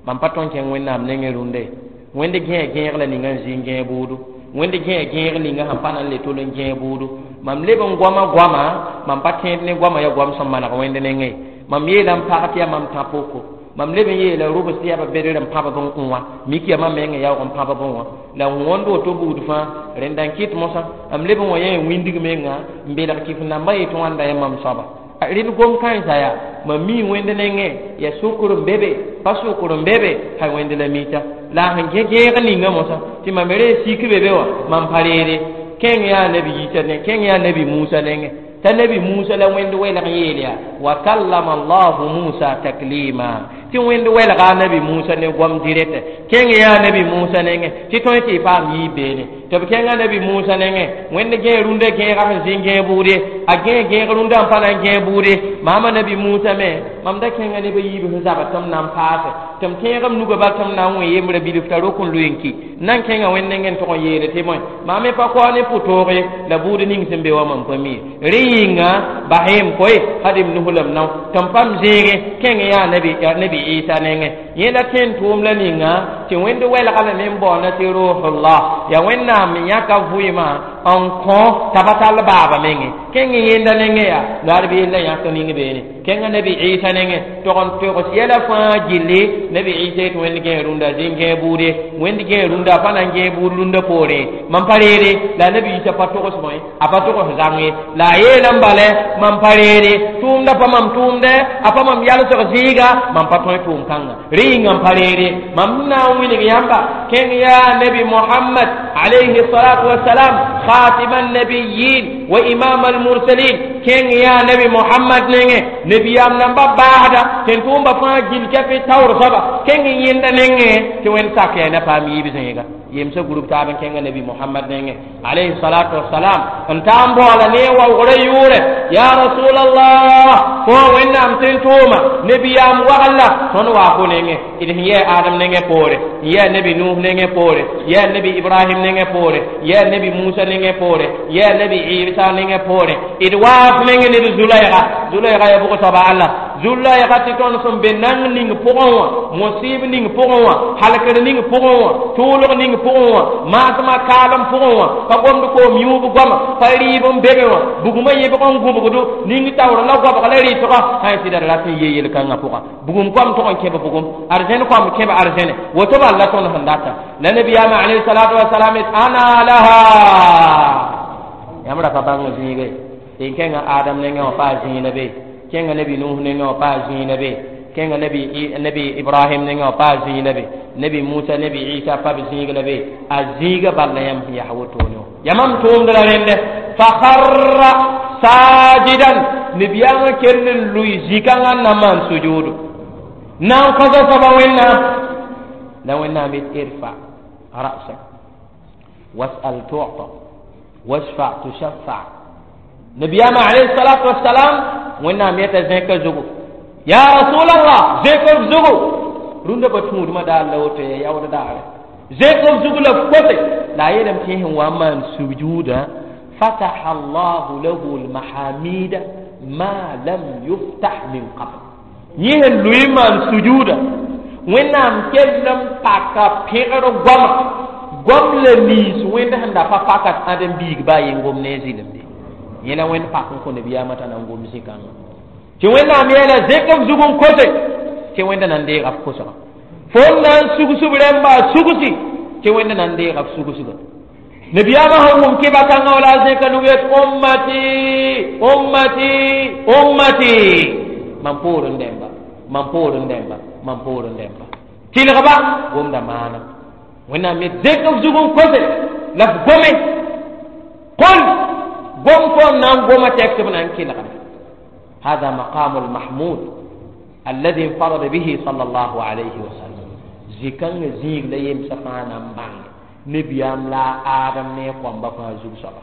mam pa tõn kẽng wẽnnaam nengẽ rũndã ye wẽnd gẽe gẽeg la ninga n zĩ n gẽe bʋʋdo wẽnd gẽe gẽeg ninga sẽn pa na n le tol n gẽe bʋʋdo mam leb n goama goama mam pa tẽed ne goama yaa goam sẽn maneg wẽnd nengẽ mam yeela n pag tɩ yaa mam tã poko mam leb n yeela rʋbs tɩ yaa ba bedr n pãb b n wã mik yaa mam mengã yaoog n pãb b n wã la wõnd woto buud fãa rẽnda n kɩt mosã m leb n wa yã wĩndg menga n belg kɩf nambã yetɩ wãnda yaa mam soaba rẽd gom kãensã yaa mam mi wẽnd nengẽ yaa sʋkr n be be pa sʋkr n be be hay wẽnd la mita la sẽn gẽ gẽeg ninga mosã tɩ mam re sik be be wã mam pa reede kẽng yaa nabi Yisa nengẽ kẽng yaa nabi Musa nengẽ T'a nabi Musa la Wẽnd welg yeel yaa wa kallama allahu Musa taklima, tɩ Wẽnd welga a nabi Musa ne goam direct. Kẽng yaa nabi Musa nengẽ tɩ tõe tɩ y paam yiib beene tɩ b kẽnga nabi Musa nengẽ. Wẽnd gẽe rũndã gẽega sẽn zĩ gẽeg bʋʋde, a gẽe gẽeg rũndã n pa na n gẽeg bʋʋde. Maama nabi Musa me mam da kẽnga neb a yiib sẽn zabd tɩ m na n paase tɩ m tẽeg m nugã bal tɩ m na n wẽ yembrã bilf t'a rok n lʋɩ n ki n na n kẽnga Wẽnd nengẽ n tʋg n yeele tɩ bõe maam me pa kao ne pʋ-toog ye la buud ning sẽn be wã mam pa mi rẽ yĩnga bas m koe had m nus la m nao tɩ m pam zẽege. Kẽng yaa nabi Isa nengẽ, yẽ la tẽn tʋʋm la ninga tɩ Wẽnd welga lame n baoonda tɩ ruhullah, yaa Wẽnnaam yãka vʋɩɩmã n kõ t'a pa tall baaba menge. Kẽng yẽnda nengẽ yaa la ad beel la yãk ning beene. Kẽnga nabi Isa nengẽ tog n togs yɛla fãa gilli. Nabi Isa tɩ Wẽnd gẽe rũndã zĩn gẽe buude, Wẽnd gẽe rũndã a pa na n gẽe buud rũndã poorẽ mam pa reere la nabi Isa pa togs bõe, a pa togs zãng ye. La a yeelame bala mam pa reere tʋʋmda pa mam tʋʋmdɛ, a pa mam yalsg zĩiga, mam pa tõe tʋʋm kãnga rẽ yĩnga n pa reere mam na n wilg yãmba. Kẽng yaa nabi Mohamad alayhi salatu wasalam, خاتم النبيين وإمام المرسلين. Kẽng yaa nabi Mohamad nengẽ, nebiyaam namba baasda tẽn tʋʋmba fãa gil kɛpɩ taoor soaba. Kẽng yẽnda nengẽ tɩ Wẽnd sak yaa na paam yiib zẽega yemsa group taab n kẽnga nabi Mohamad nengẽ alayhi salatu wasalam n taa n baoola ne waoogrã yʋʋrɛ ya rasulallah, fo Wẽnnaam tẽn tʋʋma nebiyaam wagl la tõnd waa fo nengẽ. D sẽn yɛɛ Adam nengẽ poore, n yɛɛ nabi Nuh nengẽ poore, yɛɛ nabi Ibrahim nengẽ poore, yɛɛ nabi Musa nengẽ poore, yɛɛ nabi Isa nengẽ poore, d waaf nengẽ ne d Zulayga. Zulayga ya bʋg soaba alla Zulayga tɩ tõnd sẽn be nang ning pʋgẽ wã, mosɩɩb ning pʋgẽ wã, halkr ning pʋgẽ wã, tʋʋlg ning pʋgẽ wã, maasmã kaalem pʋgẽ wã, pa gomd koom yũub goama, pa rɩɩb n bebe wã, bugmã yẽbg n gũbgdo ning taoor la goabg la rɩtgã sã n sɩda d rat n yee yel-kãngã pʋga. Bugum koam tʋg n kẽb bugum, arzẽn koam kẽb arzẽne, woto bal la tõnd sẽn data la nabiyaamã alayhi salatu wasalam ana laha. Yãmb ra pa bãng zĩige n kẽnga Adam nengẽ wã paa zĩig be, kẽnga nabi Nuh nengẽ wã paa zĩig be, kẽnga nabi Ibrahim nengẽ wã paa zĩig be, nabi Musa, nabi Isa pa b zĩig la be. A zĩiga bal la yãmb sẽn yaa wotone wã yamam tʋʋmd la rẽnde. Fa kharra sajidan, nabiyaamã kell n lʋɩ zĩ-kãngã n na maan sujuudu na n kõsa soaba Wẽnnaam. La Wẽnnaam yet irfa ra'sak was'al tu'ta washfa tushaffa. Nabiyaamã alayhi salatu wassalam, Wẽnnaam yeta zẽka zugu, ya rasulallah, zẽk f zugu. Rũndã pa tũudmã daar la woto ya yaood daare, zẽk f zugu la f kose. La a yeelame tɩ sẽn wa n maan sujuuda, fataha allahu lahu lmahamida ma lam yuftah min qabl. Yẽ sẽn lʋɩ maan sujuuda, Wẽnnaam kell n paka pẽgr goama, goam la nins Wẽnd sẽn da pa pakat ãdem biig baa yen gom ne zɩlemde. Yẽ la Wẽnd pak n kõ nabiyaamã t'a na n gom zĩ-kãngã tɩ Wẽnnaam yeela zẽk f zug n kose tɩ Wẽnda na n deega f kosga, fo n na n sugsb rẽmba sugsi tɩ Wẽnda na n deega f sugsga. Nabiyaamã sẽn wʋm kɩba kãngã wala a zẽka nug yet ummati, ummati, ummati, mam poorẽ dẽmba, mam poorẽ dẽmba, mam poorẽ dẽmba, tɩlgba gomda maana. Wẽnnaam yet zẽk f zug n kose la f gome qul gom fo n na n goma tɛk tɩ b na n kelgda. هذا مقام المحمود الذي انفرد به صلى الله عليه وسلم. زكان زيغ لا يمسا فانا بان نبيام لا آدم ne kwamba fa zug soaba.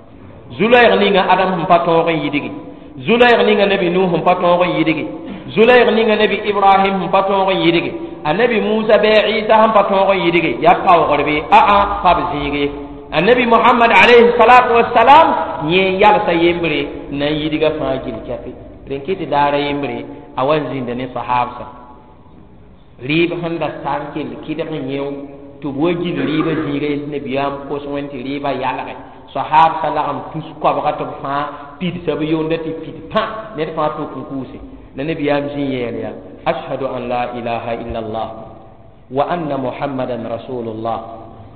Zulayg ninga Adam sẽn pa tõog n yidgi, Zulayg ninga nabi Nuh sẽn pa tõog n yidgi, Zulayg ninga nabi Ibrahim sẽn pa tõog n yidgi, a nabi Musa bɩ Isa sẽn pa tõog n yidgi, yaa paoogr bɩ aa pa b zĩige. Annabi Muhammad alayhi salatu wassalam yẽ yalsa yembre n na n yidga fãa gil kɛpɩ rẽn kɩ tɩ daara yembre a wa n zĩnda ne sahabsa rɩɩb sẽn da sa n kell kɩdg n yẽo tɩ b wa gil rɩɩbã zĩiga nabiyaam kos Wẽnd tɩ rɩɩbã yalge. Sahabsa lagem tus koabga tɩ b fãa pidsa b yonda tɩ pid pã ned fãa tok n kuuse. La nabiyaam zĩ yeel yaa ashhadu an la ilaha illa allah wa anna Muhammadan rasulullah,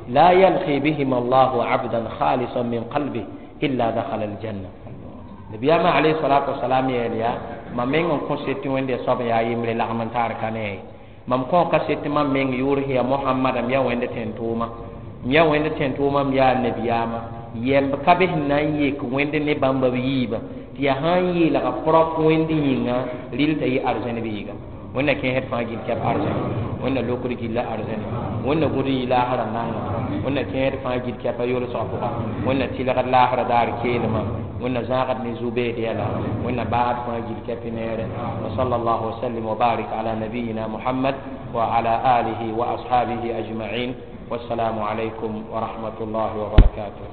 la yalqi bihim allahu abdan khalisan min qalbi illa dakhala aljanna. Nabiyaamã alayhi salatu wasalam yeel yaa mam meng n kõ set tɩ Wẽnde soab yaa yembre lagm n taar ka ne mam kõ ka set tɩ mam meng yʋʋr sẽn yaa Mohamada, m yaa Wẽnd tẽn-tʋʋma, m yaa Wẽnd tẽn-tʋʋma, m yaa nabiyaamã yɛmb ka be sẽn na n yek Wẽnd ne bãmba b yiibã. Tɩ yaa sã n yeelga prop wẽnd yĩnga rɩl t'a yɩ arzẽn biiga. Wẽnna kẽesd fãa gill kɛp arzẽn, Wẽnna lokd gilla arzẽn, Wẽnna gũd n yɩ laasrã nanga, Wẽnna kẽesd fãa gill kɛpa yolsgã pʋga, Wẽnna tɩlgd laasrã daar keelmã, Wẽnna zãagd ne zu-beed yɛla, Wẽnna baasd fãa gill kɛp neere. Wa sallallahu wa sallim wa barik ala nabiyina Muhammad wa ala alihi wa ashabihi ajma'in. Wassalamu alaykum wa rahmatullahi wa barakatuh.